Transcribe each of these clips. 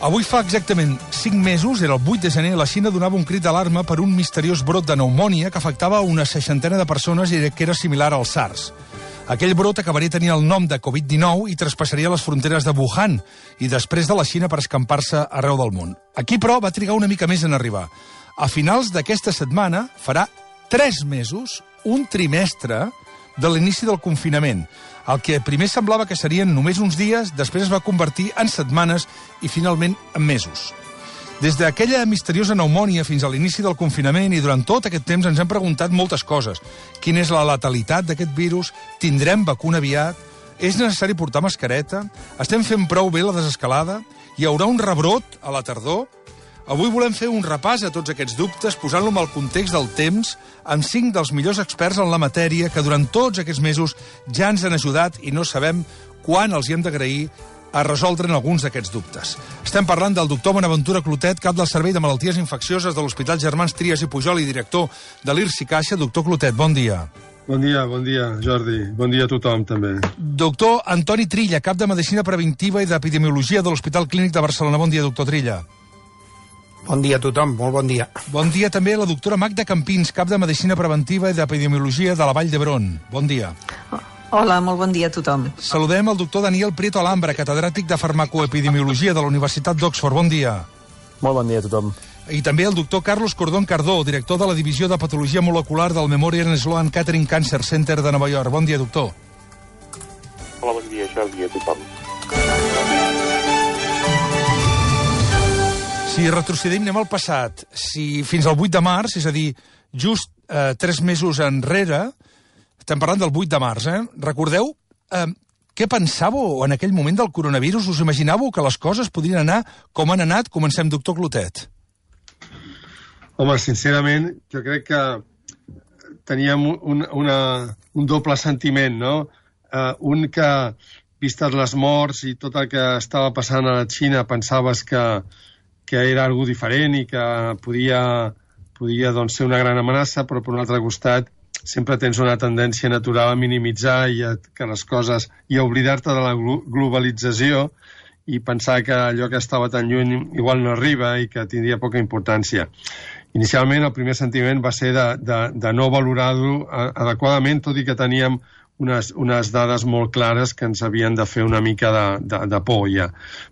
Avui fa exactament 5 mesos, era el 8 de gener, la Xina donava un crit d'alarma per un misteriós brot de pneumònia que afectava una 60ena de persones i que era similar al SARS. Aquell brot acabaria tenint el nom de Covid-19 i traspassaria les fronteres de Wuhan i després de la Xina per escampar-se arreu del món. Aquí, però, va trigar una mica més en arribar. A finals d'aquesta setmana farà 3 mesos, un trimestre, de l'inici del confinament. El que primer semblava que serien només uns dies, després es va convertir en setmanes i finalment en mesos. Des d'aquella misteriosa pneumònia fins a l'inici del confinament i durant tot aquest temps ens hem preguntat moltes coses. Quina és la letalitat d'aquest virus? Tindrem vacuna aviat? És necessari portar mascareta? Estem fent prou bé la desescalada? Hi haurà un rebrot a la tardor? Avui volem fer un repàs a tots aquests dubtes, posant-lo en el context del temps, amb 5 dels millors experts en la matèria que durant tots aquests mesos ja ens han ajudat i no sabem quan els hi hem d'agrair a resoldre'n alguns d'aquests dubtes. Estem parlant del doctor Bonaventura Clotet, cap del Servei de Malalties Infeccioses de l'Hospital Germans Trias i Pujol i director de l'IRSI Caixa. Doctor Clotet, bon dia. Bon dia, Jordi. Bon dia a tothom, també. Doctor Antoni Trilla, cap de Medicina Preventiva i d'Epidemiologia de l'Hospital Clínic de Barcelona. Bon dia, doctor Trilla. Bon dia a tothom, molt bon dia. Bon dia també a la doctora Magda Campins, cap de Medicina Preventiva i d'Epidemiologia de la Vall d'Hebron. Bon dia. Hola, molt bon dia a tothom. Saludem el doctor Daniel Prieto Alhambra, catedràtic de Farmacoepidemiologia de la Universitat d'Oxford. Bon dia. Molt bon dia a tothom. I també el doctor Carlos Cordón Cardó, director de la Divisió de Patologia Molecular del Memorial Sloan Kettering Cancer Center de Nova York. Bon dia, doctor. Hola, bon dia, Jordi, a tothom. Si retrocedim, anem al passat. Si fins al 8 de març, és a dir, just 3 mesos enrere, estem parlant del 8 de març, recordeu què pensàveu en aquell moment del coronavirus? Us imaginàveu que les coses podrien anar com han anat? Comencem, doctor Clotet. Home, sincerament, jo crec que teníem un doble sentiment, no? Un que, vistes les morts i tot el que estava passant a la Xina, pensaves que era algo diferent i que podia doncs, ser una gran amenaça, però per un altre costat sempre tens una tendència natural a minimitzar que les coses i a oblidar-te de la globalització i pensar que allò que estava tan lluny igual no arriba i que tindria poca importància. Inicialment el primer sentiment va ser de no valorar-ho adequadament, tot i que teníem unes dades molt clares que ens havien de fer una mica de por ja.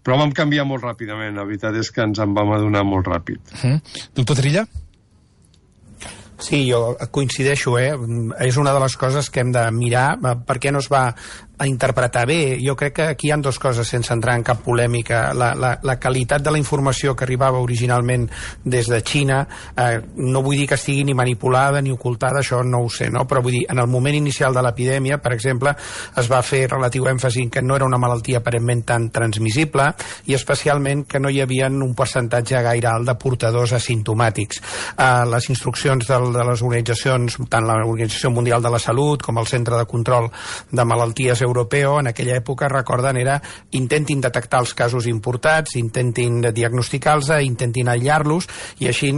Però vam canviar molt ràpidament, la veritat és que ens en vam adonar molt ràpid. Doctor Trilla? Sí, jo coincideixo, És una de les coses que hem de mirar, per què no es va a interpretar bé. Jo crec que aquí hi ha 2 coses sense entrar en cap polèmica. La qualitat de la informació que arribava originalment des de Xina, no vull dir que estigui ni manipulada ni ocultada, això no ho sé, no? Però vull dir, en el moment inicial de l'epidèmia, per exemple, es va fer relatiu èmfasi en que no era una malaltia aparentment tan transmissible i especialment que no hi havia un percentatge gaire alt de portadors asimptomàtics. Les instruccions de les organitzacions, tant l'Organització Mundial de la Salut com el Centre de Control de Malalties Europeu, en aquella època, recorden, era intentin detectar els casos importats, intentin diagnosticar-los, intentin aïllar-los i així,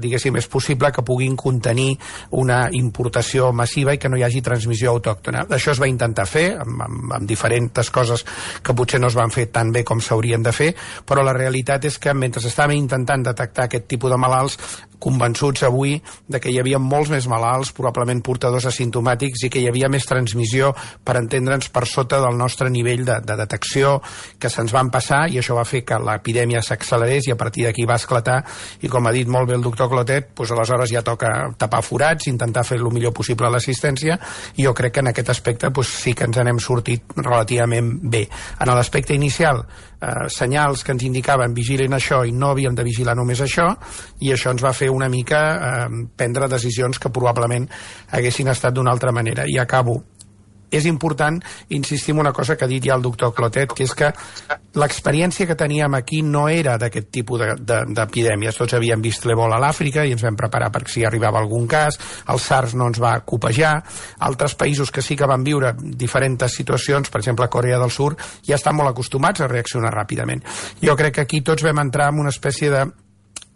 diguéssim, és possible que puguin contenir una importació massiva i que no hi hagi transmissió autòctona. Això es va intentar fer amb diferents coses que potser no es van fer tan bé com s'haurien de fer, però la realitat és que mentre estàvem intentant detectar aquest tipus de malalts, convençuts avui de que hi havia molts més malalts, probablement portadors asimptomàtics, i que hi havia més transmissió, per entendre'ns, per sota del nostre nivell de detecció, que se'ns van passar, i això va fer que l'epidèmia s'accelerés i a partir d'aquí va esclatar, i com ha dit molt bé el doctor Clotet, doncs aleshores ja toca tapar forats, intentar fer el millor possible l'assistència, i jo crec que en aquest aspecte sí que ens n'hem sortit relativament bé. En l'aspecte inicial, senyals que ens indicaven vigilin això i no havíem de vigilar només això, i això ens va fer una mica prendre decisions que probablement haguessin estat d'una altra manera. I acabo. És important insistir en una cosa que ha dit ja el doctor Clotet, que és que l'experiència que teníem aquí no era d'aquest tipus d'epidèmies. Tots havíem vist l'Ebola a l'Àfrica i ens vam preparar per si arribava algun cas, el SARS no ens va copejar, altres països que sí que van viure diferents situacions, per exemple Corea del Sur, ja estan molt acostumats a reaccionar ràpidament. Jo crec que aquí tots vam entrar en una espècie de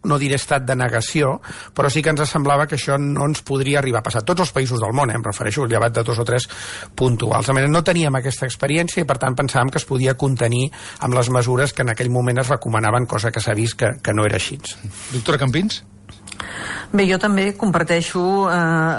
no diré estat de negació, però sí que ens semblava que això no ens podria arribar a passar. Tots els països del món, em refereixo, llevat de 2 o 3 puntuals. De manera, no teníem aquesta experiència i, per tant, pensàvem que es podia contenir amb les mesures que en aquell moment es recomanaven, cosa que s'ha vist que no era així. Doctora Campins? Bé, jo també comparteixo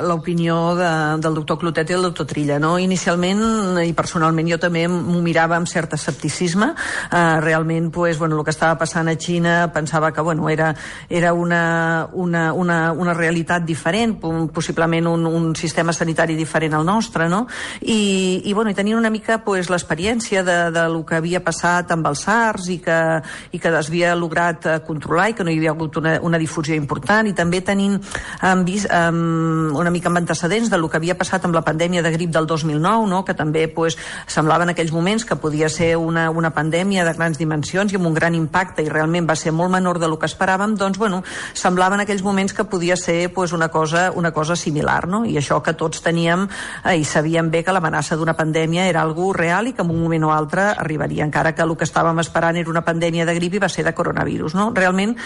l'opinió del doctor Clotet i del doctor Trilla, no? Inicialment, i personalment, jo també m'ho mirava amb cert escepticisme. Realment, pues, bueno, el que estava passant a Xina pensava que, bueno, era una realitat diferent, possiblement un sistema sanitari diferent al nostre, no? I bueno, i tenint una mica, pues, l'experiència de lo que havia passat amb els SARS i que es havia lograt controlar i que no hi havia hagut una difusió important, i també hem vist una mica amb antecedents del que havia passat amb la pandèmia de grip del 2009, no? Que també, pues, semblava en aquells moments que podia ser una pandèmia de grans dimensions i amb un gran impacte, i realment va ser molt menor del que esperàvem. Doncs, bueno, semblava en aquells moments que podia ser, pues, una cosa similar, no? I això que tots teníem i sabíem bé que l'amenaça d'una pandèmia era algo real i que en un moment o altre arribaria, encara que el que estàvem esperant era una pandèmia de grip i va ser de coronavirus, no? Realment,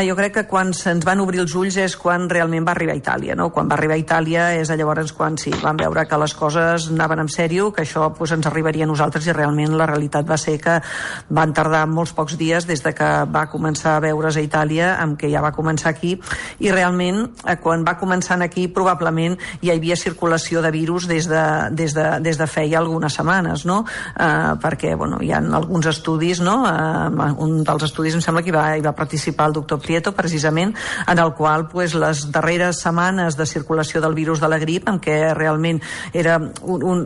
jo crec que quan se'ns van obrir els ulls és quan realment va arribar a Itàlia, no? Quan va arribar a Itàlia és llavors quan sí, vam veure que les coses anaven en sèrio, que això, pues, ens arribaria a nosaltres, i realment la realitat va ser que van tardar molts pocs dies des de que va començar a veure's a Itàlia amb que ja va començar aquí, i realment quan va començar aquí probablement ja hi havia circulació de virus des de feia algunes setmanes, no? Perquè, bueno, hi ha alguns estudis, no? Un dels estudis em sembla que hi va participar el doctor Prieto, precisament, en el qual, pues, les darreres setmanes de circulació del virus de la grip, en què realment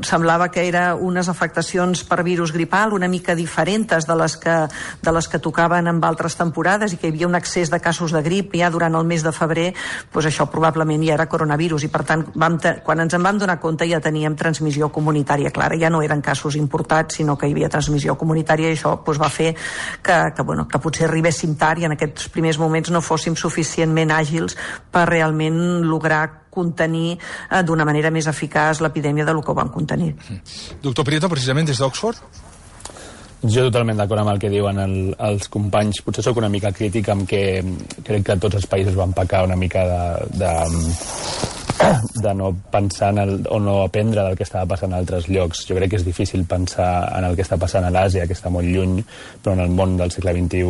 semblava que era unes afectacions per virus gripal una mica diferents de les que tocaven en altres temporades, i que hi havia un excés de casos de grip ja durant el mes de febrer, pues això probablement ja era coronavirus, i per tant quan ens en vam donar compte ja teníem transmissió comunitària clara, ja no eren casos importats sinó que hi havia transmissió comunitària, i això, pues, va fer que potser arribéssim tard i en aquests primers moments no fóssim suficientment àgils per realment lograr contenir d'una manera més eficaç l'epidèmia de lo que ho vam contenir. Doctor Prieto, precisament des d'Oxford? Jo totalment d'acord amb el que diuen els companys. Potser sóc una mica crític amb que crec que tots els països van pecar una mica de no pensar o no aprendre del que estava passant a altres llocs. Jo crec que és difícil pensar en el que està passant a l'Àsia, que està molt lluny, però en el món del segle XXI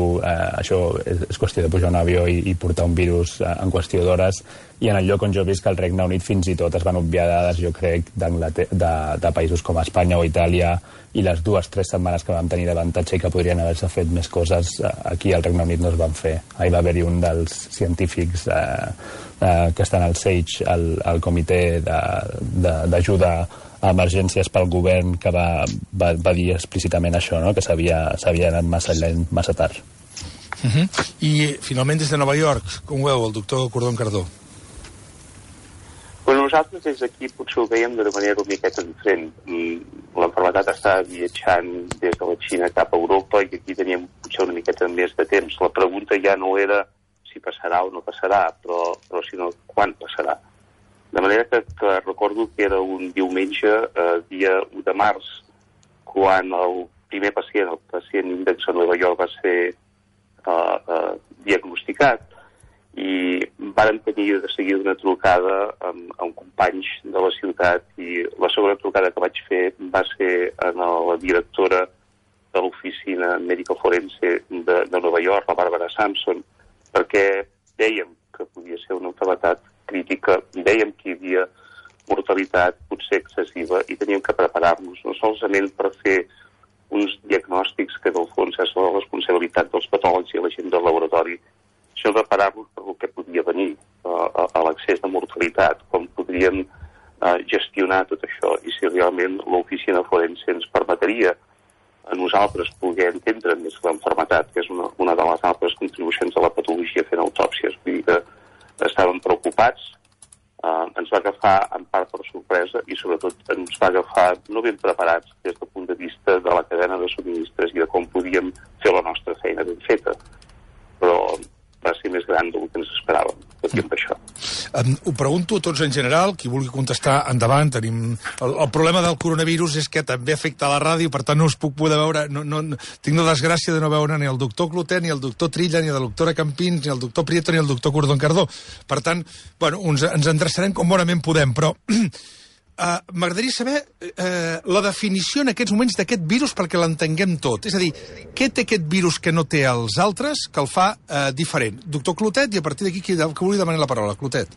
això és qüestió de pujar un avió i portar un virus en qüestió d'hores, i en el lloc on jo he vist que el Regne Unit fins i tot es van obviar dades, jo crec, de països com Espanya o Itàlia, i les 2 o 3 setmanes que vam tenir d'avantatge i que podrien haver-se fet més coses, aquí al Regne Unit no es van fer. Ahir va haver-hi un dels científics que estan al SAGE, al comitè d'ajuda a emergències pel govern, que va dir explícitament això, no? Que s'havia anat massa lent, massa tard. I finalment des de Nova York, com ho veu el doctor Cordón Cardó? Bueno, nosaltres des d'aquí potser ho veiem d'una manera una miqueta diferent. L'enfermetat estava viatjant des de la Xina cap a Europa i aquí teníem potser una miqueta més de temps. La pregunta ja no era si passarà o no passarà, però sinó quan passarà. De manera que recordo que era un diumenge, dia 1 de març, quan el primer pacient, el pacient índex a Nova York, va ser diagnosticat, i vàrem tenir de seguida una trucada amb companys de la ciutat, i la segona trucada que vaig fer va ser a la directora de l'oficina Medical Forense de Nova York, la Bàrbara Sampson, perquè dèiem que podia ser una malaltia crítica, dèiem que hi havia mortalitat potser excessiva i teníem que preparar-nos no solament per fer uns diagnòstics que del fons és la responsabilitat dels patòlegs i la gent del laboratori, sinó preparar-nos per el que podia venir, a l'excés de mortalitat, com podríem gestionar tot això i si realment l'oficina forense ens permetria a nosaltres poder entendre més l'enfermetat, que és una de les altres contribucions de la patologia fent autòpsies. Vull dir que estàvem preocupats, ens va agafar en part per sorpresa i sobretot ens va agafar no ben preparats des del punt de vista de la cadena de subministres i de com podíem fer la nostra feina ben feta. Però va ser més gran del que ens esperàvem, tot i amb això. Ho pregunto a tots en general, qui vulgui contestar, endavant. Tenim... El problema del coronavirus és que també afecta la ràdio, per tant no us puc poder veure... Tinc la desgràcia de no veure ni el doctor Clotet, ni el doctor Trilla, ni la doctora Campins, ni el doctor Prieto, ni el doctor Cordón-Cardó. Per tant, bueno, ens endreçarem com bonament podem, però... M'agradaria saber la definició en aquests moments d'aquest virus perquè l'entenguem tot. És a dir, què té aquest virus que no té els altres que el fa diferent? Doctor Clotet, i a partir d'aquí que vulgui demanar la paraula. Clotet.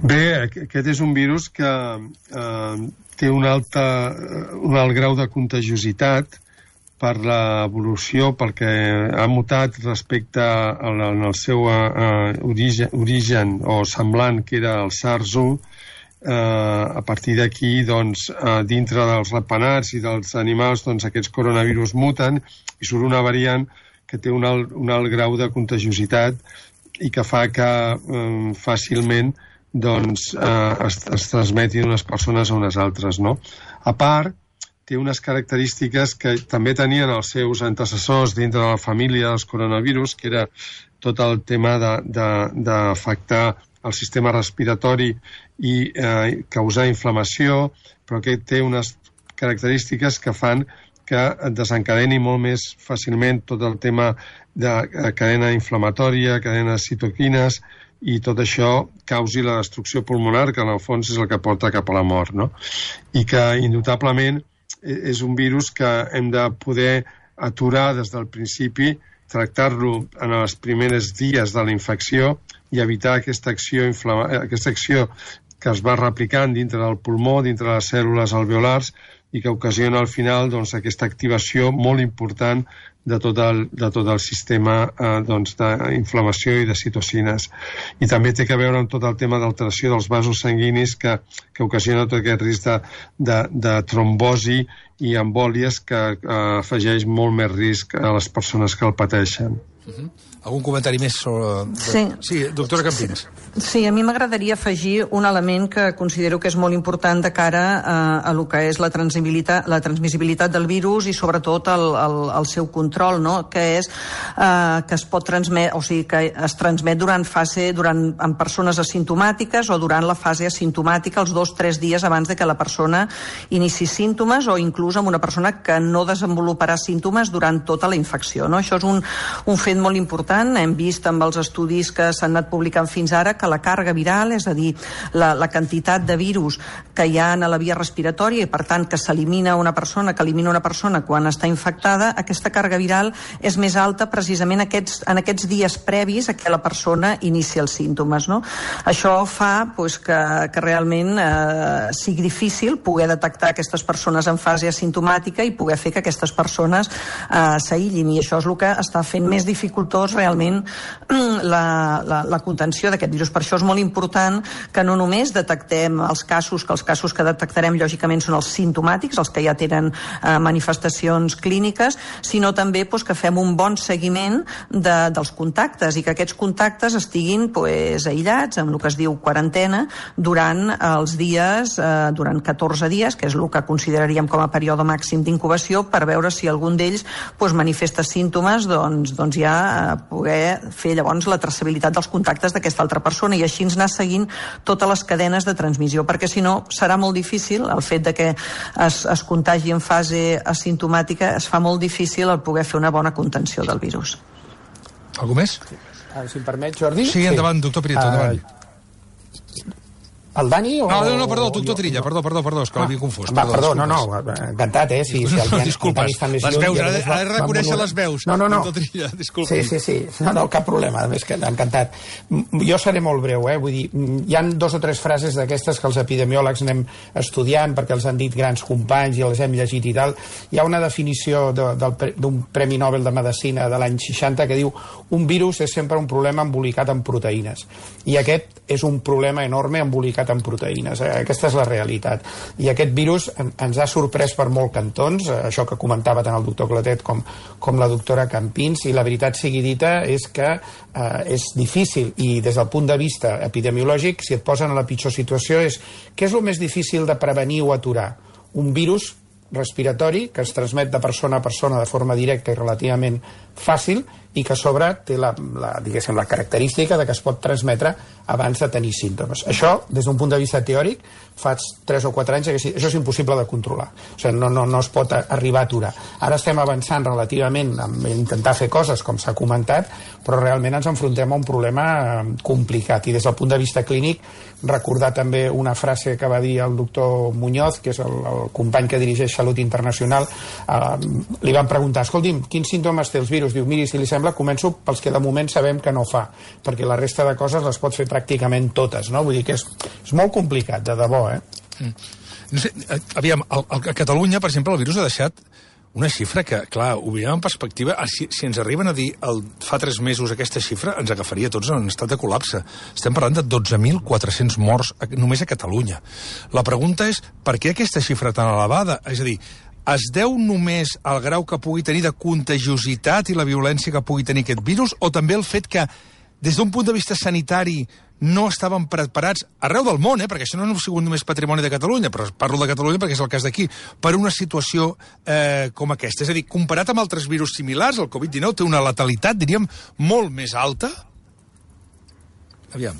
Bé, aquest és un virus que té un alt grau de contagiositat per l'evolució, perquè ha mutat respecte al seu origen o semblant, que era el SARS-1. A partir d'aquí, doncs, dintre dels ratpenats i dels animals, doncs, aquests coronavirus muten i surt una variant que té un alt grau de contagiositat i que fa que fàcilment doncs, es transmeti d'unes persones a unes altres, no? A part, té unes característiques que també tenien els seus antecessors dintre de la família dels coronavirus, que era tot el tema d'afectar el sistema respiratori i causar inflamació, però que té unes característiques que fan que desencadeni molt més fàcilment tot el tema de cadena inflamatòria, cadena de citoquines, i tot això causi la destrucció pulmonar, que en el fons és el que porta cap a la mort, no? I que, indubtablement, és un virus que hem de poder aturar des del principi, tractar-lo en els primers dies de la infecció i evitar aquesta acció que es va replicant dintre del pulmó, dintre de les cèl·lules alveolars, i que ocasiona al final doncs, aquesta activació molt important de tot el sistema d'inflamació i de citocines. I també té a veure amb tot el tema d'alteració dels vasos sanguinis que ocasiona tot aquest risc de trombosi i embòlies que afegeix molt més risc a les persones que el pateixen. Algun comentari més sobre... Sí, doctora Campins. Sí, a mi m'agradaria afegir un element que considero que és molt important de cara a lo que és la transmissibilitat del virus i sobretot el seu control, no? Que és que es pot transmetre, o sigui, que es transmet en persones asimptomàtiques o durant la fase asimptomàtica, els 2-3 dies abans de que la persona inici símptomes, o inclús amb una persona que no desenvoluparà símptomes durant tota la infecció, no? Això és un fet molt important. Hem vist amb els estudis que s'han anat publicant fins ara que la càrrega viral, és a dir, la quantitat de virus que hi ha a la via respiratòria i, per tant, que s'elimina una persona, quan està infectada, aquesta càrrega viral és més alta precisament en aquests dies previs a que la persona inici els símptomes, no? Això fa que realment sigui difícil poder detectar aquestes persones en fase asimptomàtica i poder fer que aquestes persones s'aïllin, i això és el que està fent més dificultós realment la contenció d'aquest virus. Per això és molt important que no només detectem els casos que detectarem lògicament són els simptomàtics, els que ja tenen manifestacions clíniques, sinó també que fem un bon seguiment dels contactes i que aquests contactes estiguin aïllats amb el que es diu quarantena durant els dies, durant 14 dies, que és el que consideraríem com a període màxim d'incubació, per veure si algun d'ells manifesta símptomes, doncs ja poder fer llavors la traçabilitat dels contactes d'aquesta altra persona i així anar seguint totes les cadenes de transmissió, perquè si no serà molt difícil el fet de que es contagi en fase asimptomàtica, es fa molt difícil el poder fer una bona contenció del virus. Algú més? Si em permet, Jordi? Sí, endavant, doctor Prieto, endavant. El Dani o... No, perdó, doctor Trilla, perdó, és que l'havia confós. Perdó, encantat, si disculpes, les veus, ha de reconèixer les veus. No. Doctor Trilla, disculpi. Sí, no, cap problema, més que encantat. Jo seré molt breu, vull dir, hi han 2 o 3 frases d'aquestes que els epidemiòlegs anem estudiant perquè els han dit grans companys i les hem llegit i tal. Hi ha una definició d'un Premi Nobel de Medicina de l'any 60 que diu: un virus és sempre un problema embolicat en proteïnes. I aquest és un problema enorme embolicat en proteïnes. Aquesta és la realitat. I aquest virus ens ha sorprès per molt cantons, això que comentava tant el doctor Clotet com la doctora Campins, i la veritat sigui dita és que és difícil, i des del punt de vista epidemiològic, si et posen a la pitjor situació, què és el més difícil de prevenir o aturar? Un virus respiratori que es transmet de persona a persona de forma directa i relativament fàcil, i que a sobre té la característica de que es pot transmetre abans de tenir símptomes. Això, des d'un punt de vista teòric, fa 3 o 4 anys que això és impossible de controlar. O sigui, no es pot arribar a aturar. Ara estem avançant relativament a intentar fer coses, com s'ha comentat, però realment ens enfrontem a un problema complicat. I des del punt de vista clínic, recordar també una frase que va dir el doctor Muñoz, que és el company que dirigeix Salut Internacional, li van preguntar, escolti'm, quins símptomes té els virus? Diu, miri, si li sembla, començo pels que de moment sabem que no fa, perquè la resta de coses les pot fer pràcticament totes, no? Vull dir que és molt complicat, de debò, No sé, aviam, a Catalunya, per exemple, el virus ha deixat una xifra que, clar, ho veiem en perspectiva, si ens arriben a dir fa 3 mesos aquesta xifra, ens agafaria tots en estat de col·lapse. Estem parlant de 12.400 morts només a Catalunya. La pregunta és, per què aquesta xifra tan elevada? És a dir, es deu només al grau que pugui tenir de contagiositat i la violència que pugui tenir aquest virus, o també el fet que, des d'un punt de vista sanitari, no estaven preparats, arreu del món, perquè això no ha sigut només patrimoni de Catalunya, però parlo de Catalunya perquè és el cas d'aquí, per una situació com aquesta. És a dir, comparat amb altres virus similars, el Covid-19 té una letalitat, diríem, molt més alta? Aviam.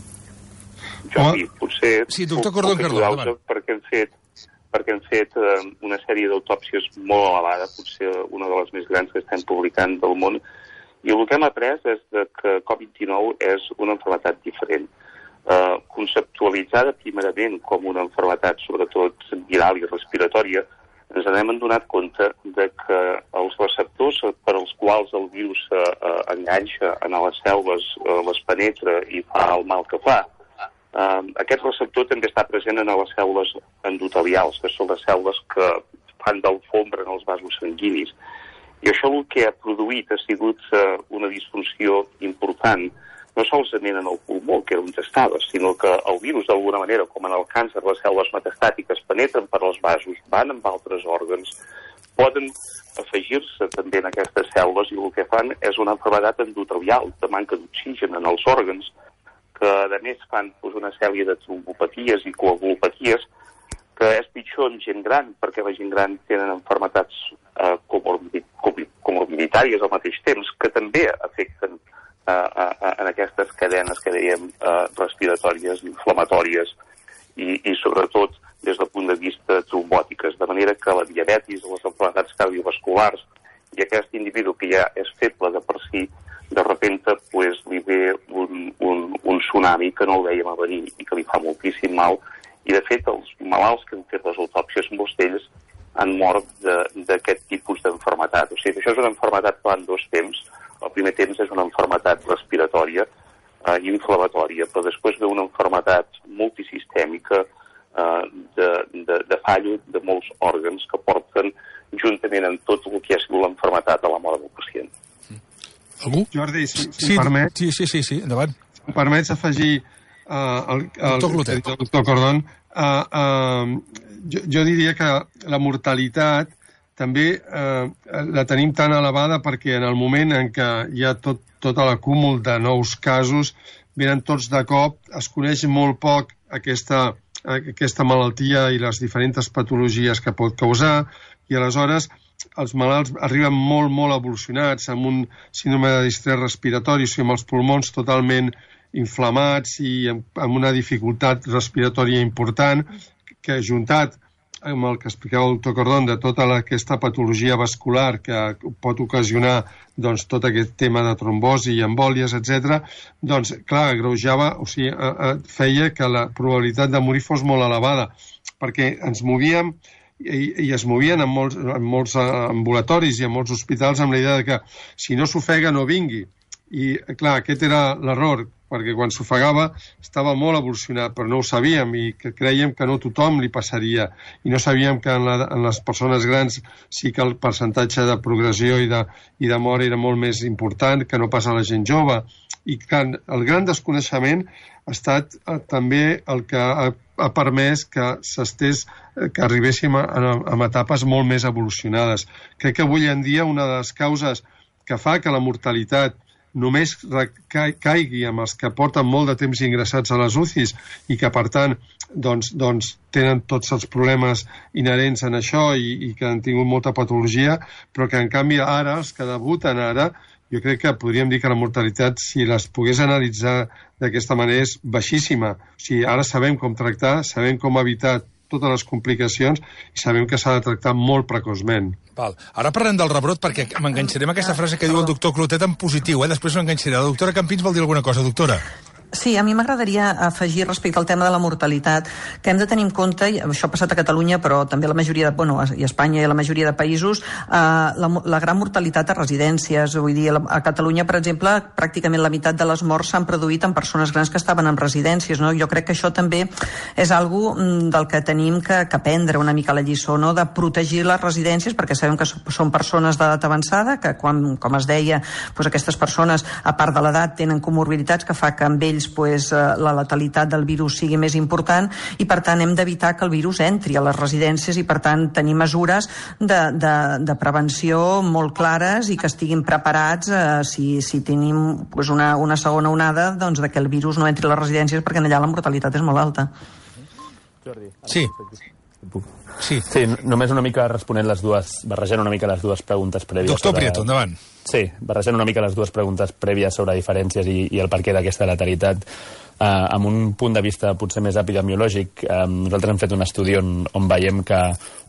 Jordi, potser... Sí, doctor Cordón Cardó, perquè hem fet una sèrie d'autòpsies molt elevada, potser una de les més grans que estem publicant del món, i el que hem après és que Covid-19 és una malaltia diferent. Conceptualitzada primerament com una malaltia sobretot viral i respiratòria, ens n'hem adonat compte de que els receptors per als quals el virus enganxa en les cèl·lules, les penetra i fa el mal que fa, aquest receptor també està present en les cèl·lules endotelials, que són les cèl·lules que fan d'alfombra en els vasos sanguinis. I això el que ha produït ha sigut una disfunció important, no solament en el pulmó, que era on estava, sinó que el virus, d'alguna manera, com en el càncer, les cèl·lules metastàtiques penetren per als vasos, van amb altres òrgans, poden afegir-se també en aquestes cèl·lules i el que fan és una malaltia endotelial, de manca d'oxigen en els òrgans, que a més fan una sèrie de trombopaties i coagulopaties, que és pitjor en gent gran, perquè la gent gran tenen malalties comorbiditàries al mateix temps, que també afecten en aquestes cadenes que dèiem respiratòries, inflamatòries i sobretot des del punt de vista trombòtiques, de manera que la diabetis, les malalties cardiovasculars i aquest individu que ja és feble de per si, de repente li ve un tsunami que no el veiem a venir i que li fa moltíssim mal. I, de fet, els malalts que han fet les autòpsies, molts d'ells han mort d'aquest tipus d'enfermetat. O sigui, això és una enfermetat que va en 2 temps. El primer temps és una enfermetat respiratòria i inflamatòria, però després ve una enfermetat multisistèmica de fallo de molts òrgans que porten juntament amb tot el que ha sigut l'enfermetat a la mort del pacient. Algú? Jordi, si em permets... Sí, endavant. Si em permets afegir el doctor Cordón, jo diria que la mortalitat també la tenim tan elevada perquè en el moment en què hi ha tot l'acúmul de nous casos, venen tots de cop, es coneix molt poc aquesta malaltia i les diferents patologies que pot causar, i aleshores els malalts arriben molt evolucionats, amb un síndrome de distrés respiratori, o sigui, amb els pulmons totalment inflamats i amb una dificultat respiratòria important, que juntat amb el que explicava el doctor Cordón de tota aquesta patologia vascular que pot ocasionar tot aquest tema de trombosi i embòlies, etc., doncs, clar, agreujava, o sigui, feia que la probabilitat de morir fos molt elevada, perquè ens movíem i es movien en molts ambulatoris i en molts hospitals amb la idea de que si no s'ofega no vingui. I, clar, aquest era l'error, perquè quan s'ofegava estava molt evolucionat, però no ho sabíem i que creiem que no tothom li passaria. I no sabíem que en les persones grans sí que el percentatge de progressió i de mort era molt més important que no pas a la gent jove. I el gran desconeixement ha estat també el que ha permès que que arribéssim a etapes molt més evolucionades. Crec que avui en dia una de les causes que fa que la mortalitat només caigui amb els que porten molt de temps ingressats a les UCIs i que, per tant, tenen tots els problemes inherents en això i que han tingut molta patologia, però que, en canvi, ara, els que debuten ara, jo crec que podríem dir que la mortalitat, si les pogués analitzar d'aquesta manera, és baixíssima. O sigui, ara sabem com tractar, sabem com evitar totes les complicacions i sabem que s'ha de tractar molt precoçment. Val. Ara parlem del rebrot perquè m'enganxaré amb aquesta frase que diu el doctor Clotet en positiu, després m'enganxaré. La doctora Campins vol dir alguna cosa, doctora? Sí, a mi m'agradaria afegir respecte al tema de la mortalitat, que hem de tenir en compte, i això ha passat a Catalunya, però també a la majoria de, i a Espanya i a la majoria de països, la gran mortalitat a residències. Vull dir, a Catalunya, per exemple, pràcticament la meitat de les morts s'han produït en persones grans que estaven en residències, no? Jo crec que això també és algo del que tenim que aprendre una mica la lliçó, no? De protegir les residències, perquè sabem que són persones d'edat avançada, que quan, com es deia, doncs aquestes persones, a part de l'edat, tenen comorbiditats que fa que amb ells la letalitat del virus sigui més important i per tant hem d'evitar que el virus entri a les residències i per tant tenir mesures de prevenció molt clares i que estiguin preparats si tenim una segona onada, doncs de que el virus no entri a les residències perquè allà la mortalitat és molt alta. Jordi. Sí. Sí, només una mica responent barrejant una mica les dues preguntes prèvies. Doctor Prieto, endavant. Sí, barrejant una mica les dues preguntes prèvies sobre diferències i el perquè d'aquesta letalitat. Amb un punt de vista potser més epidemiològic, nosaltres hem fet un estudi on veiem que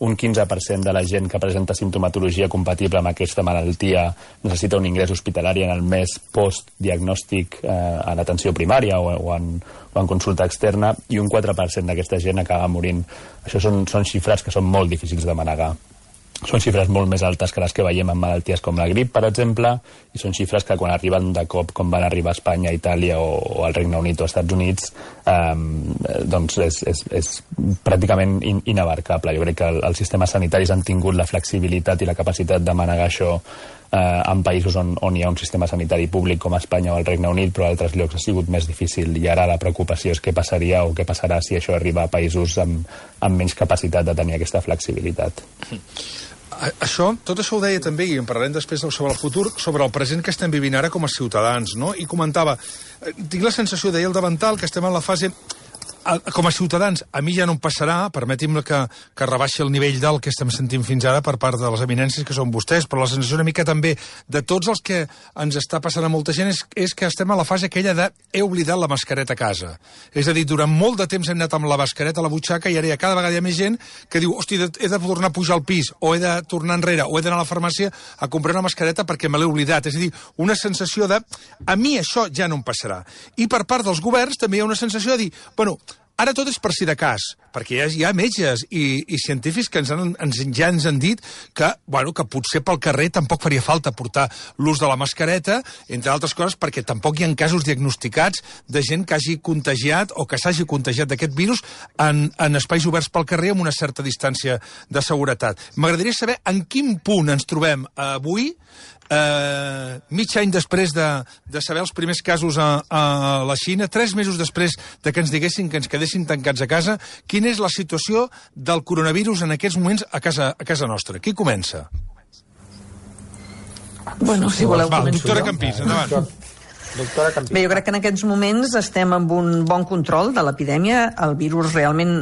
un 15% de la gent que presenta simptomatologia compatible amb aquesta malaltia necessita un ingrés hospitalari en el mes postdiagnòstic a l'atenció primària o en consulta externa, i un 4% d'aquesta gent acaba morint. Això són xifres que són molt difícils de manegar. Són xifres molt més altes que les que veiem en malalties com la grip, per exemple, i són xifres que quan arriben de cop, com van arribar a Espanya, Itàlia o al Regne Unit o als Estats Units, doncs és pràcticament inabarcable. Jo crec que els sistemes sanitaris han tingut la flexibilitat i la capacitat de manegar això en països on hi ha un sistema sanitari públic com Espanya o el Regne Unit, però a altres llocs ha sigut més difícil, i ara la preocupació és què passaria o què passarà si això arriba a països amb menys capacitat de tenir aquesta flexibilitat. Tot això ho deia també, i en parlarem després sobre el futur, sobre el present que estem vivint ara com a ciutadans, no? I comentava, tinc la sensació, deia el davantal, que estem en la fase... Com a ciutadans, a mi ja no em passarà, permeti'm que rebaixi el nivell del que estem sentint fins ara per part de les eminències que són vostès, però la sensació una mica també de tots els que ens està passant a molta gent és que estem a la fase aquella de he oblidat la mascareta a casa. És a dir, durant molt de temps hem anat amb la mascareta a la butxaca i ara cada vegada hi ha més gent que diu, hosti, he de tornar a pujar al pis, o he de tornar enrere, o he d'anar a la farmàcia a comprar una mascareta perquè me l'he oblidat. És a dir, una sensació de a mi això ja no em passarà. I per part dels governs també hi ha una sensació de dir, bueno, ara tot és per si de cas, perquè hi ha metges i científics que ja ens han dit que potser pel carrer tampoc faria falta portar l'ús de la mascareta, entre altres coses perquè tampoc hi ha casos diagnosticats de gent que hagi contagiat o que s'hagi contagiat d'aquest virus en espais oberts pel carrer amb una certa distància de seguretat. M'agradaria saber en quin punt ens trobem avui, mig any després de saber els primers casos a la Xina, 3 mesos després de que ens diguessin que ens quedessin tancats a casa, quina és la situació del coronavirus en aquests moments a casa nostra? Qui comença? Bueno, si voleu començar. Doctora Campins, endavant. Bé, jo crec que en aquests moments estem amb un bon control de l'epidèmia. El virus realment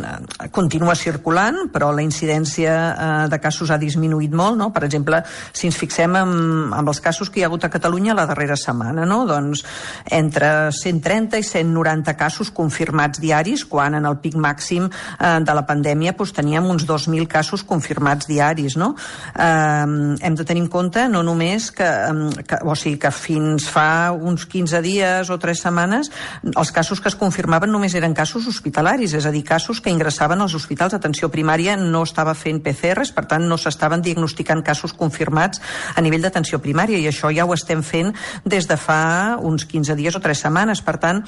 continua circulant, però la incidència de casos ha disminuït molt, no? Per exemple, si ens fixem amb els casos que hi ha hagut a Catalunya la darrera setmana, no? Doncs entre 130 i 190 casos confirmats diaris, quan en el pic màxim de la pandèmia teníem uns 2.000 casos confirmats diaris, no? Hem de tenir en compte no només que fins fa uns 15 dies o 3 setmanes els casos que es confirmaven només eren casos hospitalaris, és a dir, casos que ingressaven als hospitals d'atenció primària, no estava fent PCRs, per tant no s'estaven diagnosticant casos confirmats a nivell d'atenció primària, i això ja ho estem fent des de fa uns 15 dies o 3 setmanes. Per tant,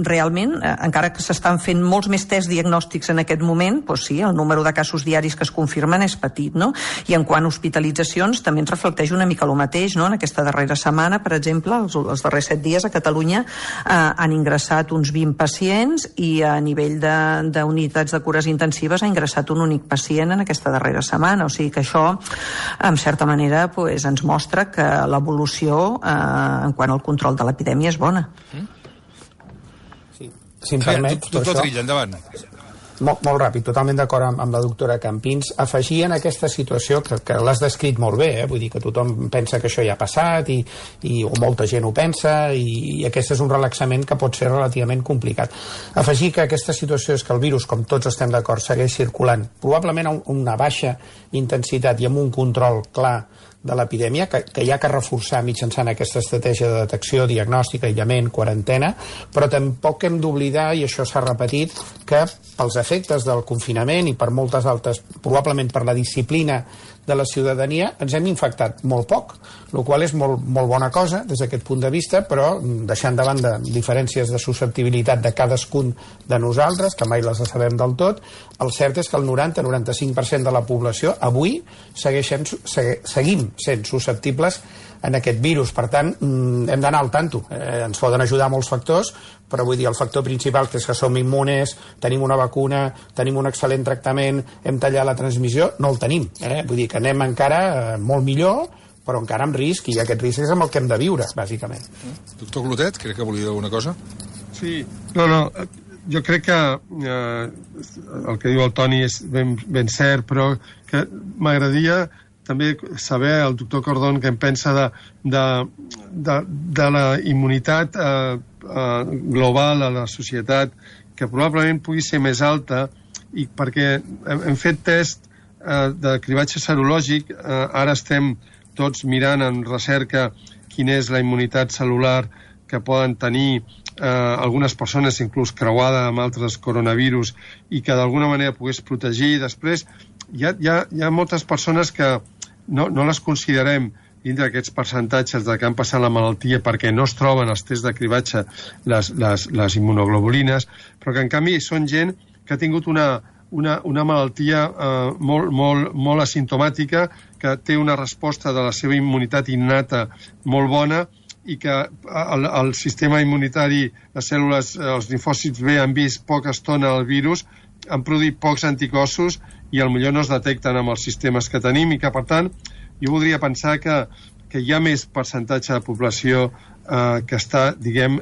realment, encara que s'estan fent molts més tests diagnòstics en aquest moment, doncs sí, el número de casos diaris que es confirmen és petit, no? I en quant a hospitalitzacions també ens reflecteix una mica el mateix, no? En aquesta darrera setmana, per exemple, els darrers 7 dies a Catalunya han ingressat uns 20 pacients i a nivell d'unitats de cures intensives ha ingressat un únic pacient en aquesta darrera setmana. O sigui que això, en certa manera, ens mostra que l'evolució en quant al control de l'epidèmia és bona. Sí, si em permet... Doctor Trilla, endavant. Molt ràpid, totalment d'acord amb la doctora Campins. Afegir en aquesta situació, que l'has descrit molt bé, vull dir que tothom pensa que això ja ha passat o molta gent ho pensa i aquest és un relaxament que pot ser relativament complicat. Afegir que aquesta situació és que el virus, com tots estem d'acord, segueix circulant, probablement a una baixa intensitat i amb un control clar de l'epidèmia, que hi ha que reforçar mitjançant aquesta estratègia de detecció, diagnòstic, aïllament, quarantena, però tampoc hem d'oblidar, i això s'ha repetit, que pels efectes del confinament i per moltes altres, probablement per la disciplina de la ciutadania, ens hem infectat molt poc, el qual és molt bona cosa des d'aquest punt de vista, però deixant de banda diferències de susceptibilitat de cadascun de nosaltres, que mai les sabem del tot, el cert és que el 90-95% de la població avui seguim sent susceptibles en aquest virus. Per tant, hem d'anar al tanto. Ens poden ajudar molts factors, però vull dir, el factor principal que és que som immunes, tenim una vacuna, tenim un excel·lent tractament, hem tallat la transmissió, no el tenim. Vull dir que anem encara molt millor, però encara amb risc, i aquest risc és amb el que hem de viure, bàsicament. Doctor Clotet, crec que volia dir alguna cosa? Sí, no, jo crec que el que diu el Toni és ben cert, però que m'agradaria també saber el doctor Cordón què en pensa de la immunitat global a la societat, que probablement pugui ser més alta, i perquè hem fet test de cribatge serològic, ara estem tots mirant en recerca quina és la immunitat cel·lular que poden tenir algunes persones, inclús creuada amb altres coronavirus, i que d'alguna manera pogués protegir. Després hi ha moltes persones que no les considerem dintre d'aquests percentatges de que han passat la malaltia perquè no es troben als tests de cribatge les immunoglobulines, però que en canvi són gent que ha tingut una malaltia molt asimptomàtica, que té una resposta de la seva immunitat innata molt bona, i que el sistema immunitari, les cèl·lules, els linfòcits B han vist poca estona el virus, han produït pocs anticossos i potser no es detecten amb els sistemes que tenim, i que, per tant, jo voldria pensar que hi ha més percentatge de població que està, diguem,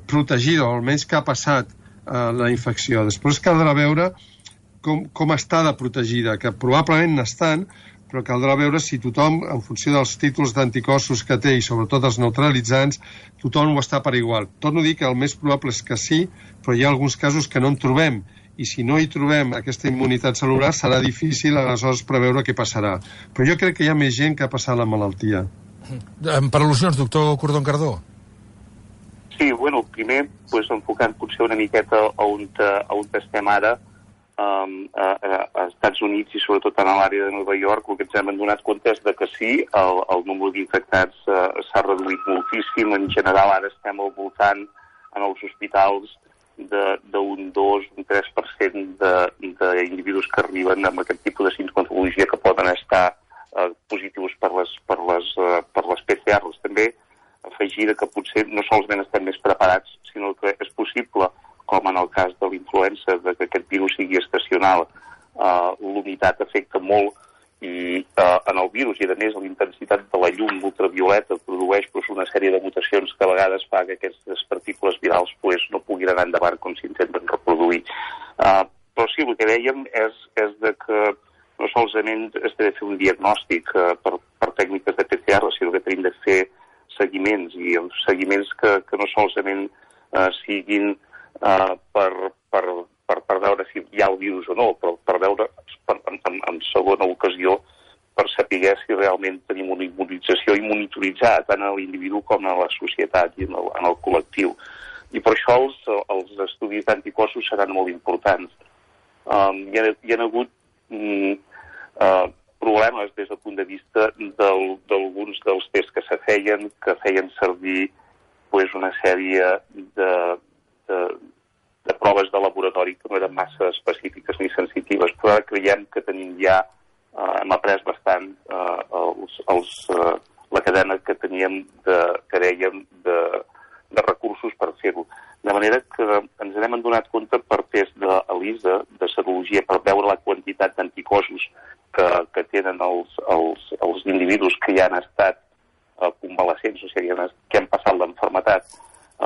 protegida, o almenys que ha passat la infecció. Després caldrà veure com està de protegida, que probablement n'estan, però caldrà veure si tothom, en funció dels títols d'anticossos que té i sobretot els neutralitzants, tothom ho està per igual. Torno a dir que el més probable és que sí, però hi ha alguns casos que no en trobem, i si no hi trobem aquesta immunitat cel·lular serà difícil aleshores preveure què passarà. Però jo crec que hi ha més gent que ha passat la malaltia. Per al·lusions, doctor Cordón Cardó. Sí, bueno, primer, enfocant potser una miqueta a on estem ara, a Estats Units i sobretot a l'àrea de Nova York, el que ens hem adonat compte és que sí, el númere d'infectats s'ha reduït moltíssim. En general ara estem al voltant en els hospitals d'un 2, un 3% d'individus que arriben amb aquest tipus de sintomatologia que poden estar positius per les PCRs. També afegir que potser no solament estem més preparats, sinó que és possible, com en el cas de l'influenza, que aquest virus sigui estacional. L'humitat afecta molt en el virus, i a més la intensitat de la llum ultravioleta produeix una sèrie de mutacions que a vegades fa que aquestes partícules virals no puguin anar endavant com s'intenten reproduir. Però sí, el que dèiem és que no solament es té de fer un diagnòstic per tècniques de PCR, sinó que tenim de fer seguiments, i els seguiments que no solament siguin per veure si hi ha el virus o no, però per veure en segona ocasió per saber si realment tenim una immunització i monitoritzar tant a l'individu com a la societat i en el col·lectiu. I per això els estudis d'anticossos seran molt importants. Hi ha hagut problemes des del punt de vista d'alguns dels tests que feien servir una sèrie de proves de laboratori que no eren massa específiques ni sensitives, però ara creiem que tenim ja, hem après bastant la cadena que teníem de recursos per fer-ho. De manera que ens n'hem adonat compte per test d'ELISA, de serologia, per veure la quantitat d'anticossos que tenen els individus que ja han estat convalescents, o sigui, que han passat l'enfermetat.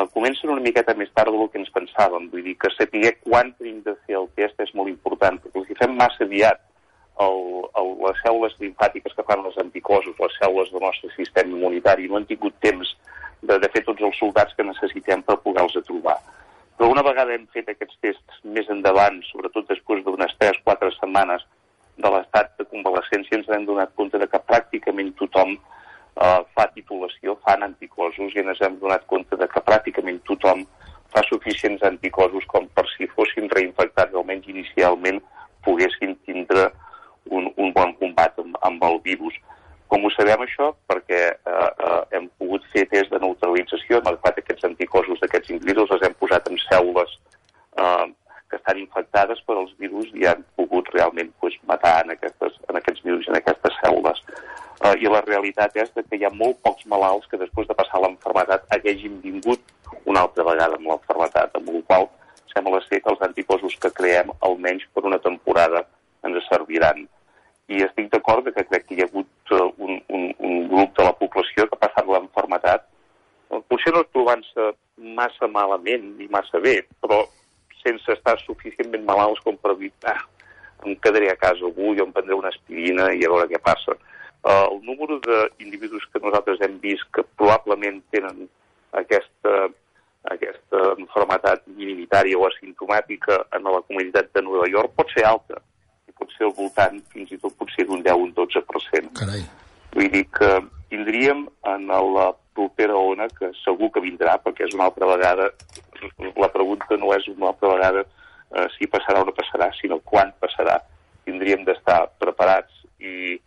Comencen una miqueta més tard del que ens pensàvem. Vull dir que saber quan tenim de fer el test és molt important. els fem massa aviat les cèl·lules limfàtiques que fan els anticossos, les cèl·lules del nostre sistema immunitari, no han tingut temps de fer tots els soldats que necessitem per poder-los trobar. Però una vegada hem fet aquests tests més endavant, sobretot després d'unes 3-4 setmanes de l'estat de convalescència, ens hem donat compte de que pràcticament tothom fa titulació, fan anticossos, i ens hem donat compte de que pràcticament tothom fa suficients anticossos com per si fossin reinfectats, almenys inicialment, poguessin tindre un bon combat amb el virus. Com ho sabem això? Perquè hem pogut fer test de neutralització, hem agafat aquests anticossos d'aquests individus, els hem posat en cèl·lules que estan infectades per als virus i han pogut realment matar en aquests virus i en aquestes cèl·lules. I la realitat és que hi ha molt pocs malalts que després de passar l'enfermetat haguessin vingut una altra vegada amb l'enfermetat, amb la qual sembla ser que els anticossos que creem almenys per una temporada ens serviran. I estic d'acord que crec que hi ha hagut un grup de la població que ha passat l'enfermetat, potser no trobant-se massa malament ni massa bé, però sense estar suficientment malalts com per dir em quedaré a casa avui o em prendré una aspirina i a veure què passa. El número d'individus que nosaltres hem vist que probablement tenen aquesta malaltia minoritària o asimptomàtica en la comunitat de Nova York pot ser alta, i pot ser al voltant fins i tot potser d'un 10 o un 12%. Carai. Vull dir que tindríem en la propera ona, que segur que vindrà, perquè és una altra vegada, la pregunta no és una altra vegada si passarà o no passarà, sinó quan passarà. Tindríem d'estar preparats i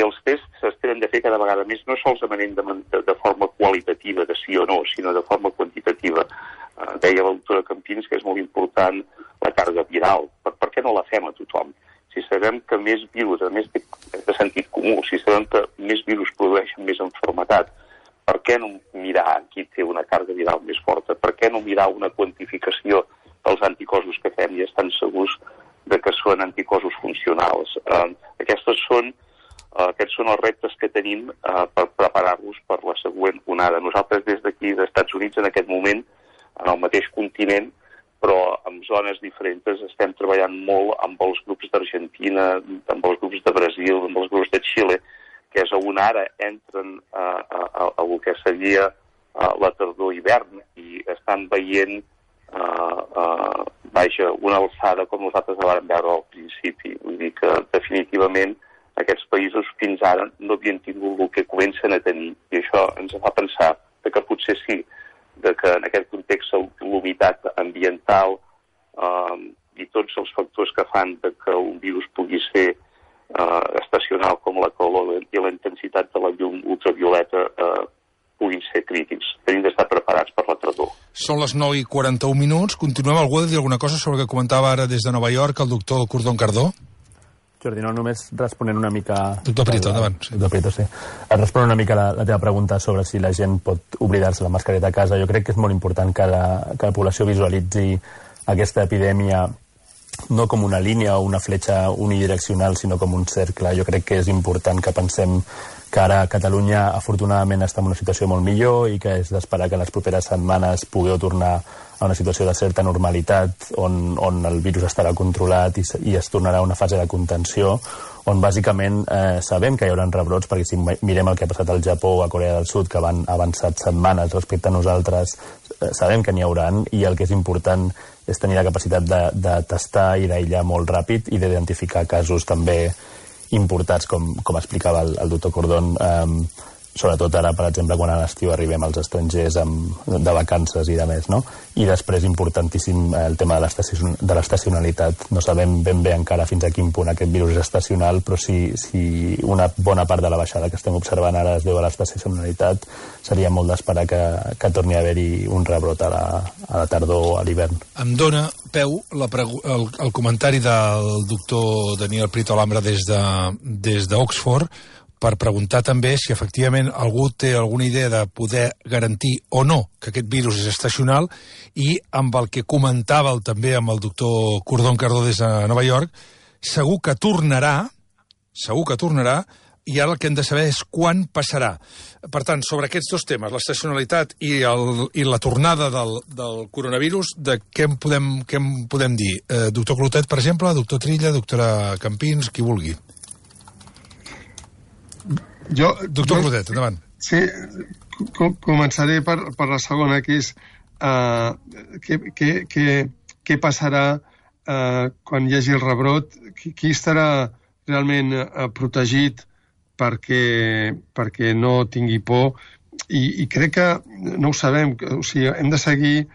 els tests es tenen de fer cada vegada més, no solament de forma qualitativa, de sí o no, sinó de forma quantitativa. Deia la doctora Campins que és molt important la càrrega viral. Per què no la fem a tothom? Si sabem que més virus, a més de sentit comú, si sabem que més virus produeixen més malaltia, per què no mirar qui té una càrrega viral més forta? Per què no mirar una quantificació dels anticossos que fem i estan segurs de que són anticossos funcionals? Aquests són els reptes que tenim per preparar-nos per la següent onada. Nosaltres des d'aquí, dels Estats Units, en aquest moment, en el mateix continent, però en zones diferents, estem treballant molt amb els grups d'Argentina, amb els grups de Brasil, amb els grups de Xile, que és on ara entren a el que seria la tardor-hivern i estan veient una alçada com nosaltres la vam veure al principi. Vull dir que definitivament aquests països fins ara no havien tingut el que comencen a tenir, i això ens fa pensar que potser sí, que en aquest context l'humitat ambiental i tots els factors que fan que un virus pugui ser estacional com la calor i la intensitat de la llum ultravioleta puguin ser crítics. Tenim d'estar preparats per la tardor. Són les 9:41. Continuem. Algú ha de dir alguna cosa sobre el que comentava ara des de Nova York el doctor Cordón Cardó? Jordi, no, només responent una mica... Doctor Prieto, endavant. Sí. Doctor Prieto, sí. Responent una mica la teva pregunta sobre si la gent pot oblidar-se la mascareta a casa. Jo crec que és molt important que la població visualitzi aquesta epidèmia no com una línia o una fletxa unidireccional, sinó com un cercle. Jo crec que és important que pensem que ara Catalunya afortunadament està en una situació molt millor i que és d'esperar que en les properes setmanes pugueu tornar a una situació de certa normalitat on el virus estarà controlat i es tornarà a una fase de contenció on bàsicament sabem que hi haurà rebrots, perquè si mirem el que ha passat al Japó o a Corea del Sud, que van avançat setmanes respecte a nosaltres, sabem que n'hi hauran, i el que és important és tenir la capacitat de tastar i d'aïllar molt ràpid i d'identificar casos també importats, com explicava el doctor Cordón, sobretot ara, per exemple, quan a l'estiu arribem als estrangers de vacances i de més, no? I després, importantíssim, el tema de l'estacionalitat. No sabem ben bé encara fins a quin punt aquest virus és estacional, però si una bona part de la baixada que estem observant ara es deu a l'estacionalitat, seria molt d'esperar que torni a haver-hi un rebrot a la tardor o a l'hivern. Em dona peu el comentari del doctor Daniel Prieto Alhambra des d'Oxford, per preguntar també si efectivament algú té alguna idea de poder garantir o no que aquest virus és estacional, i amb el que comentava també amb el doctor Cordón Cardó des de Nova York, segur que tornarà, i ara el que hem de saber és quan passarà. Per tant, sobre aquests dos temes, l'estacionalitat i la tornada del coronavirus, de què en podem dir? Doctor Clotet, per exemple, doctor Trilla, doctora Campins, qui vulgui. Doctor Clotet, endavant. Sí, començaré per la segona, que és què passarà quan hi hagi el rebrot, qui estarà realment protegit perquè no tingui por, i crec que no ho sabem, o sigui, hem de seguir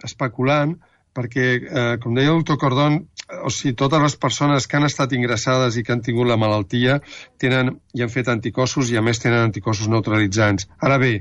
especulant, perquè, com deia el doctor Cordón, o sigui, totes les persones que han estat ingressades i que han tingut la malaltia tenen i han fet anticossos i a més tenen anticossos neutralitzants. Ara bé,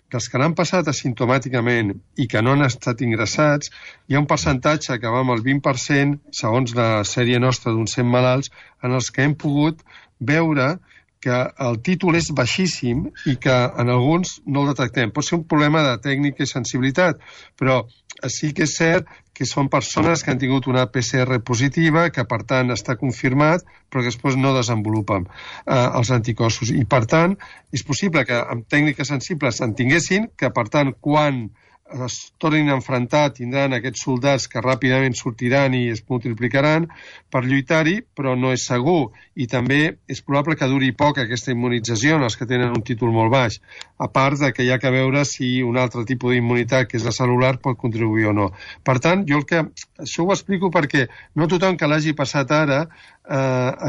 que els que l'han passat asimptomàticament i que no han estat ingressats, hi ha un percentatge que va amb el 20%, segons la sèrie nostra d'uns 100 malalts, en els que hem pogut veure que el títol és baixíssim i que en alguns no el detectem. Pot ser un problema de tècnica i sensibilitat, però sí que és cert que són persones que han tingut una PCR positiva, que per tant està confirmat, però que després no desenvolupen els anticossos. I per tant, és possible que amb tècniques sensibles en tinguessin, que per tant, quan es tornin a enfrontar, tindran aquests soldats que ràpidament sortiran i es multiplicaran per lluitar-hi, però no és segur. I també és probable que duri poc aquesta immunització en els que tenen un títol molt baix, a part de que hi ha que veure si un altre tipus d'immunitat, que és la celular, pot contribuir o no. Per tant, això ho explico perquè no tothom que l'hagi passat ara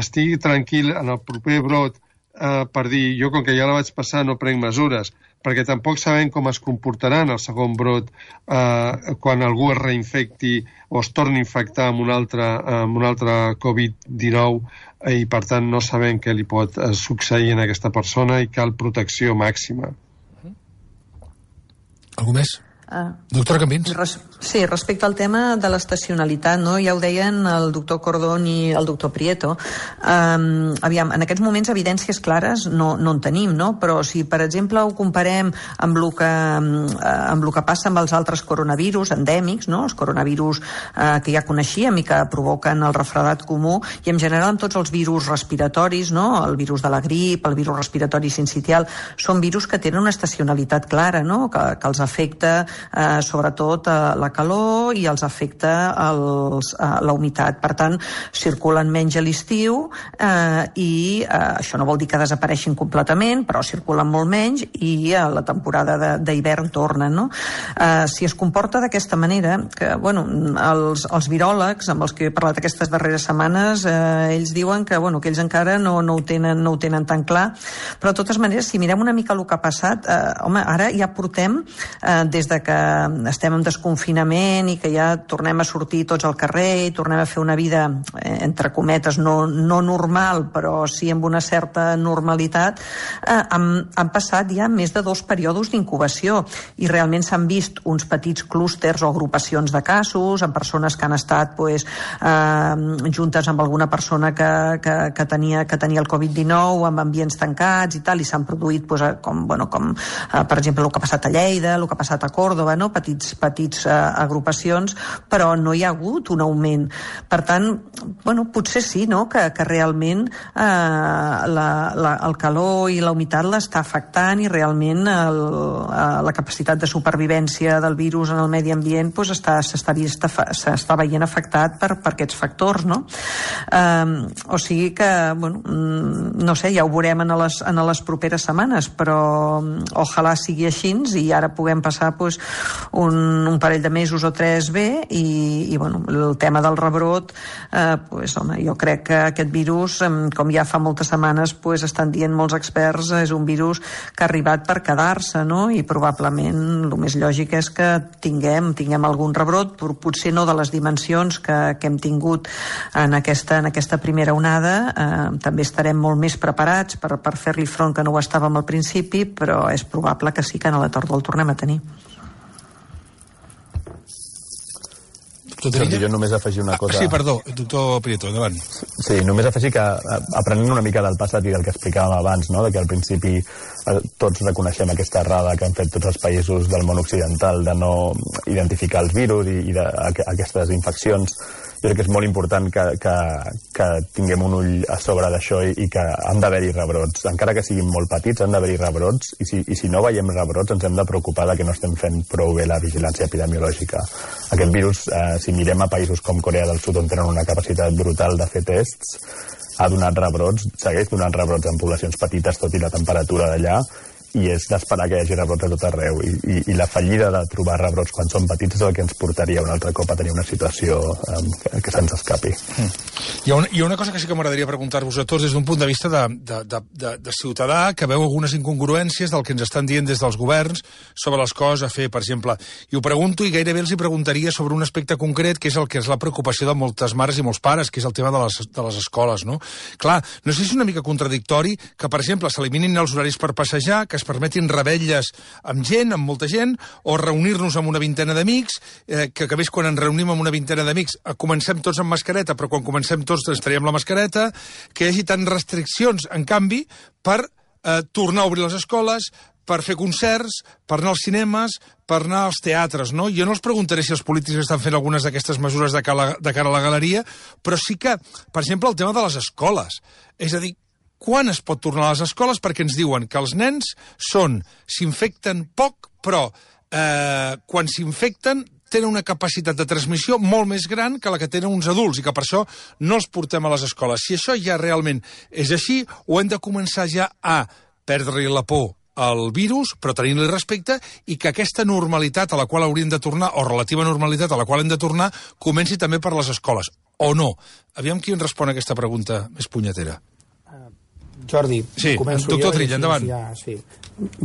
estigui tranquil en el proper brot per dir, jo com que ja la vaig passar no prenc mesures, perquè tampoc sabem com es comportaran el segon brot quan algú es reinfecti o es torni a infectar amb un altre Covid-19 i per tant no sabem què li pot succeir a aquesta persona i cal protecció màxima. Algú més? Doctora Campins? Sí, respecte al tema de l'estacionalitat, no? Ja ho deien el doctor Cordón i el doctor Prieto. Aviam, en aquests moments evidències clares no en tenim, no? Però si, per exemple, ho comparem amb el que passa amb els altres coronavirus endèmics, no? Els coronavirus que ja coneixíem i que provoquen el refredat comú, i en general amb tots els virus respiratoris, no? El virus de la grip, el virus respiratori sincitial, són virus que tenen una estacionalitat clara, no? Que els afecta sobretot la calor i els afecta la humitat. Per tant, circulen menys a l'estiu i això no vol dir que desapareixin completament, però circulen molt menys i a la temporada d'hivern tornen, no? Si es comporta d'aquesta manera, que, bueno, els viròlegs amb els que he parlat aquestes darreres setmanes, ells diuen que, bueno, que ells encara no ho tenen tan clar, però de totes maneres, si mirem una mica el que ha passat, home, ara ja portem des de que estem en desconfinament i que ja tornem a sortir tots al carrer i tornem a fer una vida, entre cometes, no normal, però sí amb una certa normalitat, han passat ja més de 2 períodes d'incubació i realment s'han vist uns petits clústers o agrupacions de casos en persones que han estat juntes amb alguna persona que tenia el Covid-19 amb ambients tancats i tal, i s'han produït com per exemple el que ha passat a Lleida, el que ha passat a Còrdova, no? Petits agrupacions, però no hi ha hagut un augment. Per tant, bueno, potser sí, no? Que realment el calor i la humitat l'està afectant i realment la capacitat de supervivència del virus en el medi ambient s'està veient afectat per aquests factors, no? O sigui que, bueno, no sé, ja ho veurem en les properes setmanes, però ojalà sigui així i ara puguem passar un parell de mesos o 3 bé i bueno, el tema del rebrot, home, jo crec que aquest virus, com ja fa moltes setmanes estan dient molts experts, és un virus que ha arribat per quedar-se, no? I probablement el més lògic és que tinguem algun rebrot, potser no de les dimensions que hem tingut en aquesta primera onada. També estarem molt més preparats per fer-li front, que no ho estàvem al principi, però és probable que sí que a la tardor el tornem a tenir. Jo només afegir una cosa... Sí, perdó, doctor Prieto, endavant. Sí, només afegir que, aprenent una mica del passat i del que explicàvem abans, no? De que al principi tots reconeixem aquesta errada que han fet tots els països del món occidental de no identificar els virus i aquestes infeccions jo crec que és molt important que tinguem un ull a sobre d'això i que han d'haver-hi rebrots. Encara que siguin molt petits, han d'haver-hi rebrots, i si no veiem rebrots ens hem de preocupar que no estem fent prou bé la vigilància epidemiològica. Aquest virus, si mirem a països com Corea del Sud, on tenen una capacitat brutal de fer tests, ha donat rebrots, segueix donant rebrots en poblacions petites, tot i la temperatura d'allà, i és d'esperar que hi hagi rebrots a tot arreu. I la fallida de trobar rebrots quan són petits és el que ens portaria un altre cop a tenir una situació que se'ns escapi. Hi ha una cosa que sí que m'agradaria preguntar-vos a tots des d'un punt de vista de ciutadà que veu algunes incongruències del que ens estan dient des dels governs sobre les coses a fer, per exemple. I ho pregunto i gairebé els hi preguntaria sobre un aspecte concret que és el que és la preocupació de moltes mares i molts pares, que és el tema de les escoles, no? Clar, no sé si és una mica contradictori que, per exemple, s'eliminin els horaris per passejar, que es permetin revetlles amb gent, amb molta gent, o reunir-nos amb una vintena d'amics, que a més quan ens reunim amb una vintena d'amics comencem tots amb mascareta, però quan comencem tots ens traiem la mascareta, que hi hagi tant restriccions, en canvi, per tornar a obrir les escoles, per fer concerts, per anar als cinemes, per anar als teatres, no? Jo no els preguntaré si els polítics estan fent algunes d'aquestes mesures de cara a la galeria, però sí que, per exemple, el tema de les escoles. És a dir, quan es pot tornar a les escoles? Perquè ens diuen que els nens s'infecten poc, però quan s'infecten tenen una capacitat de transmissió molt més gran que la que tenen uns adults i que per això no els portem a les escoles. Si això ja realment és així, o hem de començar ja a perdre-li la por al virus, però tenint-li respecte, i que aquesta normalitat a la qual hauríem de tornar, o relativa normalitat a la qual hem de tornar, comenci també per les escoles, o no? Aviam qui ens respon a aquesta pregunta més punyetera. Jordi, sí, doctor Trilla, endavant. Ja, sí.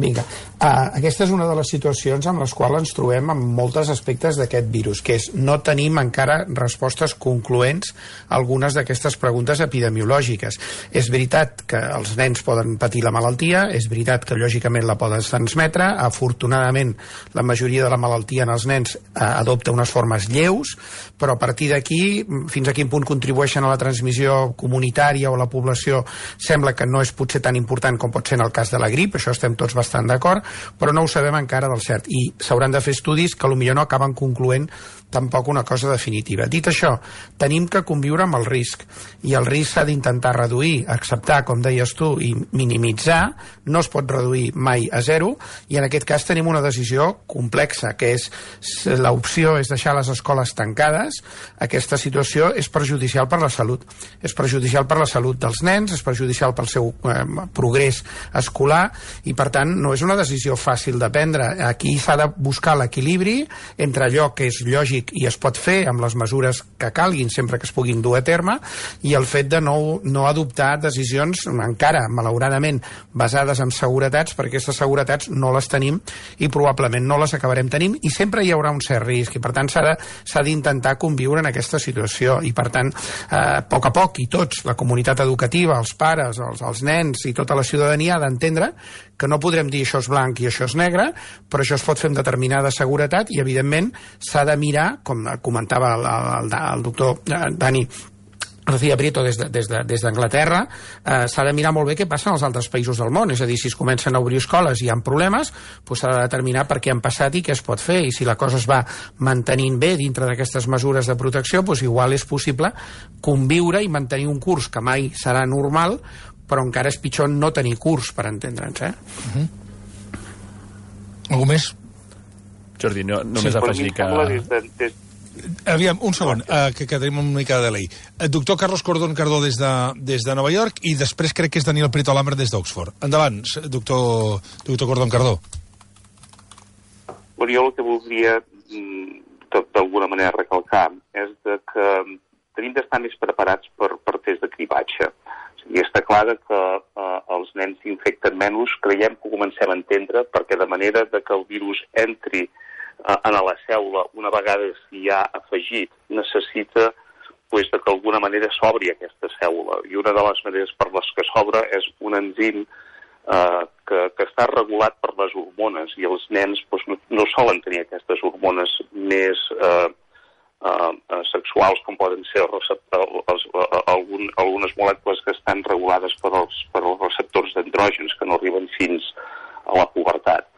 Vinga, aquesta és una de les situacions amb les quals ens trobem en molts aspectes d'aquest virus, que és no tenim encara respostes concloents a algunes d'aquestes preguntes epidemiològiques. És veritat que els nens poden patir la malaltia, és veritat que lògicament la poden transmetre, afortunadament la majoria de la malaltia en els nens adopta unes formes lleus, però a partir d'aquí, fins a quin punt contribueixen a la transmissió comunitària o a la població, sembla que no és potser tan important com pot ser en el cas de la grip, això estem tots bastant d'acord, però no ho sabem encara del cert, i s'hauran de fer estudis que potser no acaben concloent tampoc una cosa definitiva. Dit això, tenim que conviure amb el risc, i el risc s'ha d'intentar reduir, acceptar, com deies tu, i minimitzar. No es pot reduir mai a zero, i en aquest cas tenim una decisió complexa, que és l'opció és deixar les escoles tancades. Aquesta situació és perjudicial per la salut. És perjudicial per la salut dels nens, és perjudicial pel seu progrés escolar, i per tant no és una decisió fàcil de prendre. Aquí s'ha de buscar l'equilibri entre allò que és lògic i es pot fer amb les mesures que calguin sempre que es puguin dur a terme, i el fet de no adoptar decisions encara, malauradament, basades en seguretats, perquè aquestes seguretats no les tenim i probablement no les acabarem tenint, i sempre hi haurà un cert risc, i per tant s'ha d'intentar conviure en aquesta situació, i per tant a poc, i tots, la comunitat educativa, els pares, els nens i tota la ciutadania ha d'entendre que no podrem dir això és blanc i això és negre, però això es pot fer amb determinada seguretat, i evidentment s'ha de mirar, com comentava el doctor Dani García Prieto des d'Anglaterra, s'ha de mirar molt bé què passa en els altres països del món. És a dir, si es comencen a obrir escoles i hi ha problemes, s'ha de determinar per què han passat i què es pot fer, i si la cosa es va mantenint bé dintre d'aquestes mesures de protecció, igual és possible conviure i mantenir un curs que mai serà normal, però encara és pitjor no tenir curs, per entendre'ns. Algú més? Jordi, només afegir que... Aviam, un segon, que tenim una mica de delay. Doctor Carlos Cordón-Cardó des de Nova York, i després crec que és Daniel Prieto Lambert des d'Oxford. Endavant, doctor Cordón-Cardó. Bueno, jo el que voldria d'alguna manera recalcar és que tenim d'estar més preparats per test de cribatge. I està clar que els nens s'infecten menys, creiem que ho comencem a entendre, perquè de manera que el virus entri en la cèl·lula, una vegada s'hi ha afegit, necessita de que d'alguna manera s'obri aquesta cèl·lula. I una de les maneres per les que s'obre és un enzim que està regulat per les hormones, i els nens no solen tenir aquestes hormones més sexuals, com poden ser algunes molècules que estan regulades per als receptors d'andrògens que no arriben fins a la pubertat.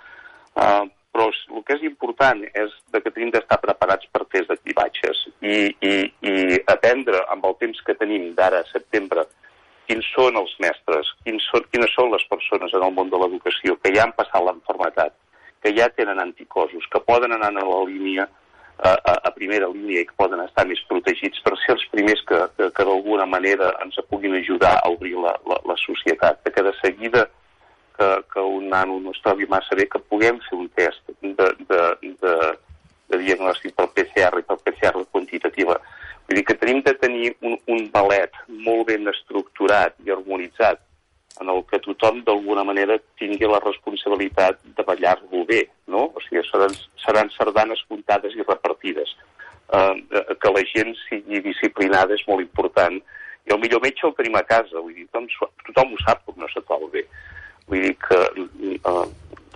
però el que és important és que tenim d'estar preparats per tests de cribratges i aprendre amb el temps que tenim d'ara a setembre quins són els mestres, quines són les persones en el món de l'educació que ja han passat l'enfermetat, que ja tenen anticossos, que poden anar a la línia, a primera línia i que poden estar més protegits per ser els primers que d'alguna manera ens puguin ajudar a obrir la societat, que de seguida que un nano no es trobi massa bé, que puguem fer un test de diagnòstic per PCR i per PCR quantitativa. Vull dir que tenim de tenir un ballet molt ben estructurat i harmonitzat en el que tothom d'alguna manera tingui la responsabilitat de ballar-lo bé, no? O sigui, seran sardanes comptades i repartides. Que la gent sigui disciplinada és molt important. I el millor metge el tenim a casa, vull dir, tothom ho sap com no se troba bé. Vull dir que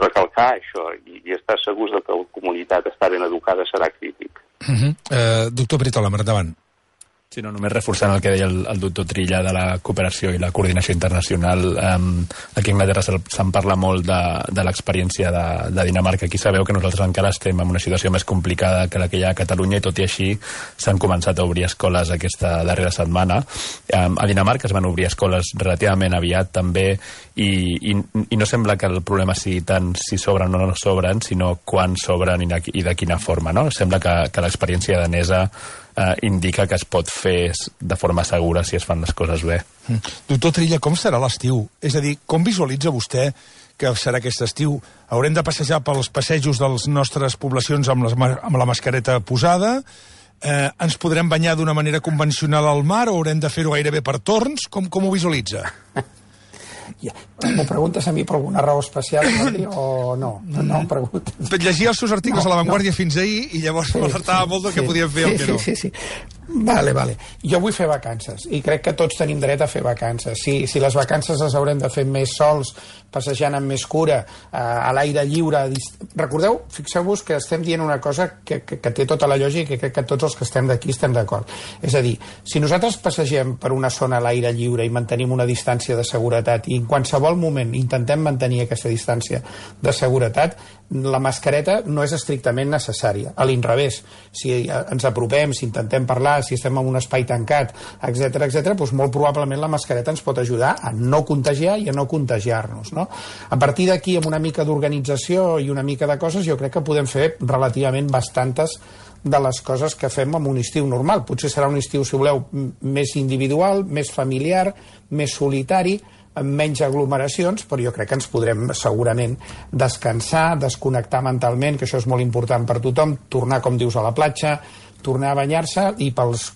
recalcar això i estar segurs que la comunitat està ben educada serà crític. Doctor Britola, endavant. Sí, no, només reforçant el que deia el doctor Trilla de la cooperació i la coordinació internacional. Aquí a Anglaterra se'n parla molt de l'experiència de Dinamarca. Aquí sabeu que nosaltres encara estem en una situació més complicada que la que hi ha a Catalunya i tot i així s'han començat a obrir escoles aquesta darrera setmana. A Dinamarca es van obrir escoles relativament aviat també i no sembla que el problema sigui tant si sobren o no sobren, sinó quan sobren i de quina forma, no? Sembla que l'experiència danesa indica que es pot fer de forma segura si es fan les coses bé. Doctor Trilla, com serà l'estiu? És a dir, com visualitza vostè que serà aquest estiu? Haurem de passejar pels passejos de les nostres poblacions amb la mascareta posada? Ens podrem banyar d'una manera convencional al mar o haurem de fer-ho gairebé per torns? Com ho visualitza? M'ho preguntes a mi per alguna raó especial o no? No em preguntes. Llegia els seus articles a La Vanguardia fins ahir i llavors m'alertava molt del que podíem fer o el que no. Sí. Vale. Jo vull fer vacances i crec que tots tenim dret a fer vacances. Si les vacances les haurem de fer més sols, passejant amb més cura, a l'aire lliure... Recordeu, fixeu-vos que estem dient una cosa que té tota la lògica i crec que tots els que estem d'aquí estem d'acord. És a dir, si nosaltres passegem per una zona a l'aire lliure i mantenim una distància de seguretat i en qualsevol moment intentem mantenir aquesta distància de seguretat, la mascareta no és estrictament necessària. A l'inrevés, si ens apropem, si intentem parlar, si estem en un espai tancat, etc, doncs molt probablement la mascareta ens pot ajudar a no contagiar i a no contagiar-nos, no? A partir d'aquí, amb una mica d'organització i una mica de coses, jo crec que podem fer relativament bastantes de les coses que fem en un estiu normal. Potser serà un estiu, si voleu, més individual, més familiar, més solitari, amb menys aglomeracions, però jo crec que ens podrem segurament descansar, desconnectar mentalment, que això és molt important per tothom, tornar, com dius, a la platja, tornar a banyar-se i pels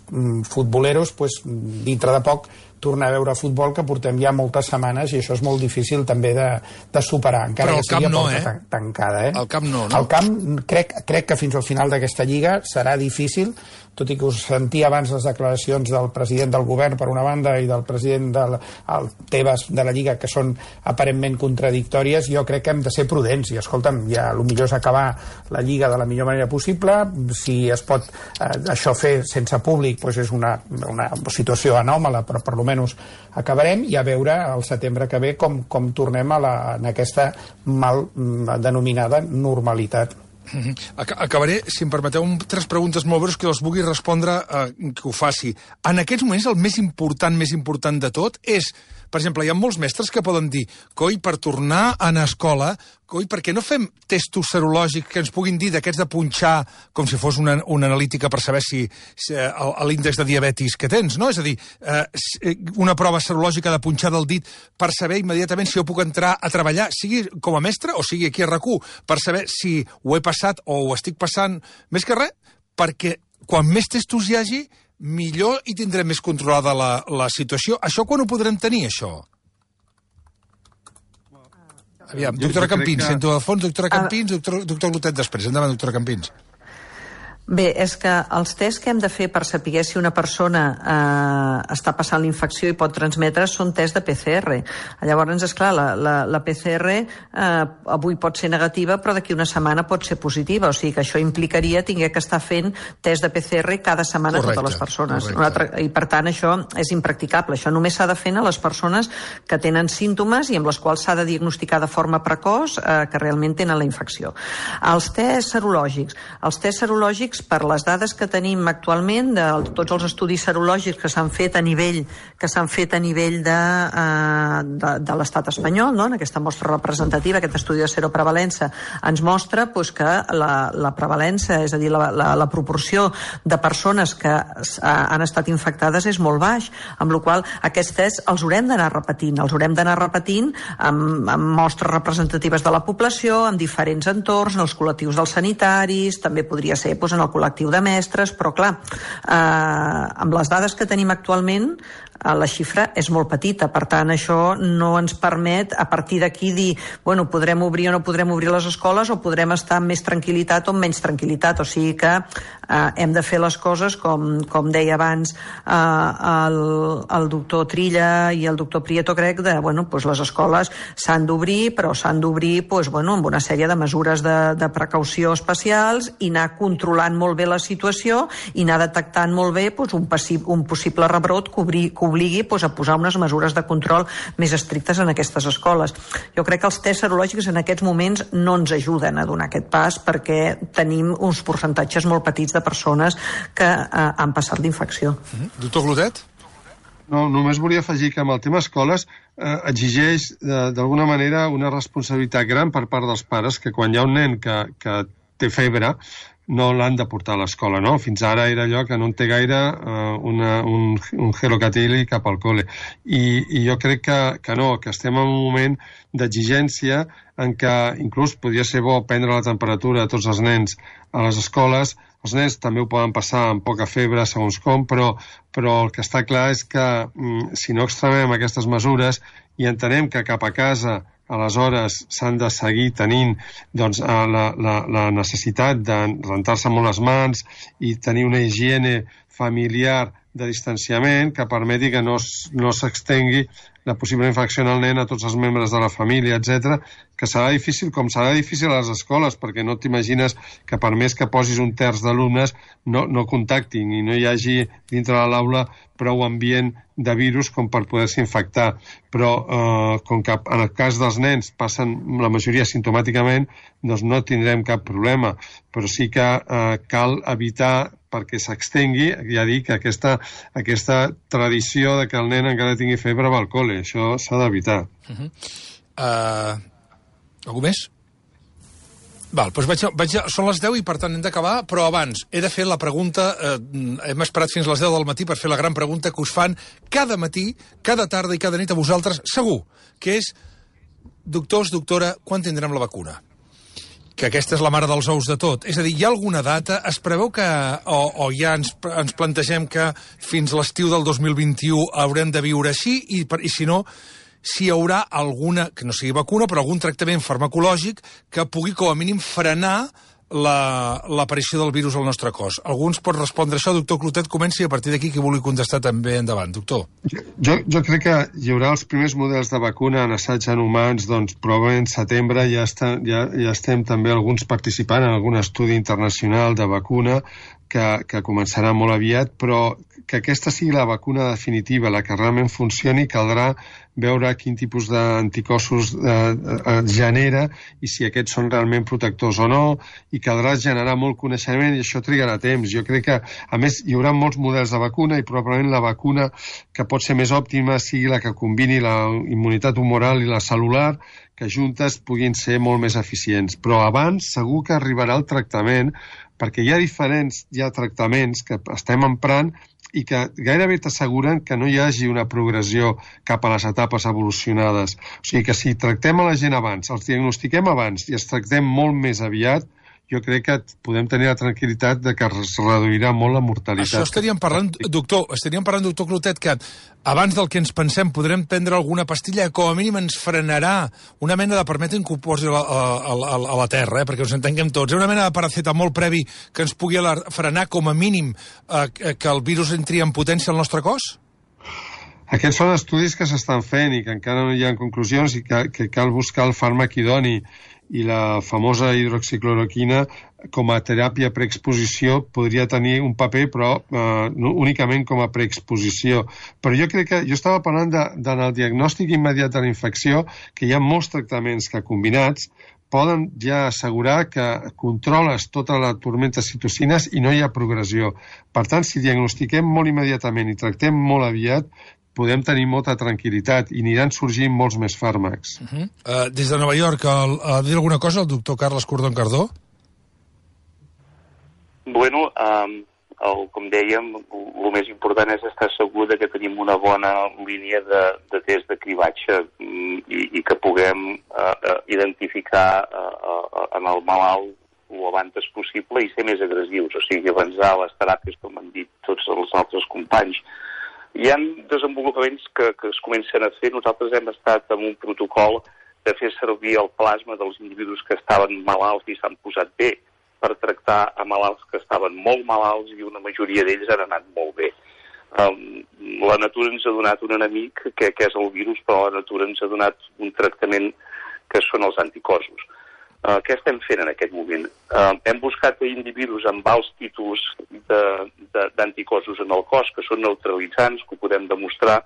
futboleros, dintre de poc, tornar a veure futbol, que portem ja moltes setmanes i això és molt difícil també de superar, encara que sigui a porta tancada. El camp no? El camp crec que fins al final d'aquesta lliga serà difícil, tot i que us sentia abans les declaracions del president del govern per una banda i del president del Tebas de la Lliga, que són aparentment contradictòries. Jo crec que hem de ser prudents i, escolta'm, ja el millor és acabar la Lliga de la millor manera possible. Si es pot això fer sense públic, doncs és una situació anòmala, però per almenys acabarem, i a veure al setembre que ve com tornem en aquesta mal denominada normalitat. Acabaré, si em permeteu, amb 3 preguntes molt breus que les vulgui respondre que ho faci. En aquests moments el més important de tot és, per exemple, hi ha molts mestres que poden dir, coi, per tornar a anar a escola, coi, per què no fem testos serològics que ens puguin dir d'aquests de punxar com si fos una analítica per saber si l'índex de diabetis que tens, no? És a dir, una prova serològica de punxar del dit per saber immediatament si jo puc entrar a treballar, sigui com a mestre o sigui aquí a RAC1, per saber si ho he passat o ho estic passant, més que res, perquè quan més testos hi hagi, millor i tindrem més controlada la situació. Això quan ho podrem tenir, això? Aviam, doctora Campins, sento al fons, doctora Campins, doctor Clotet després. Endavant, doctora Campins. Bé, és que els tests que hem de fer per saber si una persona està passant la infecció i pot transmetre són tests de PCR. Llavors, esclar, la PCR avui pot ser negativa, però d'aquí una setmana pot ser positiva. O sigui que això implicaria tinguer que estar fent test de PCR cada setmana a totes les persones. I per tant, això és impracticable. Això només s'ha de fer a les persones que tenen símptomes i amb les quals s'ha de diagnosticar de forma precoç que realment tenen la infecció. Els tests serològics, per les dades que tenim actualment de tots els estudis serològics que s'han fet a nivell de l'estat espanyol, no? En aquesta mostra representativa, aquest estudi de seroprevalença ens mostra que la prevalença, és a dir, la proporció de persones que han estat infectades és molt baix, amb la qual cosa aquests tests els haurem d'anar repetint amb mostres representatives de la població, en diferents entorns, en els col·lectius dels sanitaris, també podria ser en el col·lectiu de mestres, però clar, amb les dades que tenim actualment la xifra és molt petita, per tant això no ens permet a partir d'aquí dir, bueno, podrem obrir o no podrem obrir les escoles o podrem estar amb més tranquil·litat o amb menys tranquil·litat, o sigui que hem de fer les coses com deia abans el doctor Trilla i el doctor Prieto, crec, les escoles s'han d'obrir, però s'han d'obrir amb una sèrie de mesures de precaució especials i anar controlant molt bé la situació i anar detectant molt bé un possible rebrot que obligui a posar unes mesures de control més estrictes en aquestes escoles. Jo crec que els tests serològics en aquests moments no ens ajuden a donar aquest pas perquè tenim uns percentatges molt petits de persones que han passat l'infecció. Doctor Clotet? No, només volia afegir que amb el tema escoles exigeix d'alguna manera una responsabilitat gran per part dels pares, que quan hi ha un nen que té febre no l'han de portar a l'escola, no? Fins ara era allò que no en té gaire un gelocatil cap al col·le. I jo crec que no, que estem en un moment d'exigència en què inclús podria ser bo prendre la temperatura a tots els nens a les escoles. Els nens també ho poden passar amb poca febre, segons com, però el que està clar és que si no extremem aquestes mesures i entenem que cap a casa aleshores s'han de seguir tenint la necessitat de rentar-se molt les mans i tenir una higiene familiar de distanciament que permeti que no s'extengui la possible infecció en el nen a tots els membres de la família, etc., que serà difícil, com serà difícil a les escoles, perquè no t'imagines que per més que posis un terç d'alumnes no contactin i no hi hagi dintre de l'aula prou ambient de virus com per poder-se infectar. Però com que en el cas dels nens passen la majoria simptomàticament, doncs no tindrem cap problema. Però sí que cal evitar perquè s'extengui, ja dic, aquesta tradició de que el nen encara tingui febre va al col·le. Això s'ha d'evitar. Algú més? Val, doncs són les 10 i per tant hem d'acabar, però abans he de fer la pregunta, hem esperat fins a les 10 del matí per fer la gran pregunta que us fan cada matí, cada tarda i cada nit a vosaltres, segur, que és, doctors, doctora, quan tindrem la vacuna? Que aquesta és la mare dels ous de tot. És a dir, hi ha alguna data? Es preveu que, o ja ens plantegem que fins a l'estiu del 2021 haurem de viure així, i si no, si hi haurà alguna, que no sigui vacuna, però algun tractament farmacològic que pugui com a mínim frenar l'aparició del virus al nostre cos. Algú ens pot respondre això? Doctor Clotet, comenci i a partir d'aquí qui vulgui contestar també endavant. Doctor. Jo crec que hi haurà els primers models de vacuna en assaig en humans, doncs probablement setembre ja estem també alguns participant en algun estudi internacional de vacuna que començarà molt aviat, però que aquesta sigui la vacuna definitiva, la que realment funcioni, caldrà veure quin tipus d'anticossos genera i si aquests són realment protectors o no, i caldrà generar molt coneixement i això trigarà temps. Jo crec que, a més, hi haurà molts models de vacuna i probablement la vacuna que pot ser més òptima sigui la que combini la immunitat humoral i la cel·lular, que juntes puguin ser molt més eficients. Però abans segur que arribarà el tractament, perquè hi ha tractaments que estem emprant i que gairebé t'asseguren que no hi hagi una progressió cap a les etapes evolucionades. O sigui que si tractem a la gent abans, els diagnostiquem abans i els tractem molt més aviat, jo crec que podem tenir la tranquil·litat de que es reduirà molt la mortalitat. Això estaríem parlant, doctor Clotet, que abans del que ens pensem podrem prendre alguna pastilla que com a mínim ens frenarà una mena de, permetin que ho posi a la terra, perquè us entenguem tots, una mena de paracetamol previ que ens pugui frenar com a mínim que el virus entri en potència al nostre cos? Aquests són estudis que s'estan fent i que encara no hi ha conclusions i que cal buscar el fàrmac idoni, i la famosa hidroxicloroquina com a teràpia preexposició podria tenir un paper, però únicament com a preexposició. Però jo crec que, jo estava parlant en el diagnòstic immediat de la infecció, que hi ha molts tractaments que combinats poden ja assegurar que controles tota la tormenta de citocines i no hi ha progressió. Per tant, si diagnostiquem molt immediatament i tractem molt aviat, podem tenir molta tranquil·litat i aniran sorgint molts més fàrmacs. Des de Nova York, ha de dir alguna cosa el doctor Carles Cordón-Cardó? Bueno, com dèiem, el més important és estar segur que tenim una bona línia de test de cribatge i que puguem identificar en el malalt el abans possible i ser més agressius, o sigui, avançar les teràpies, com han dit tots els altres companys. Hi ha desenvolupaments que es comencen a fer. Nosaltres hem estat amb un protocol de fer servir el plasma dels individus que estaven malalts i s'han posat bé per tractar a malalts que estaven molt malalts i una majoria d'ells han anat molt bé. La natura ens ha donat un enemic, que és el virus, però la natura ens ha donat un tractament que són els anticossos. Què estem fent en aquest moment? Hem buscat individus amb alts títols d'anticossos en el cos, que són neutralitzants, que ho podem demostrar.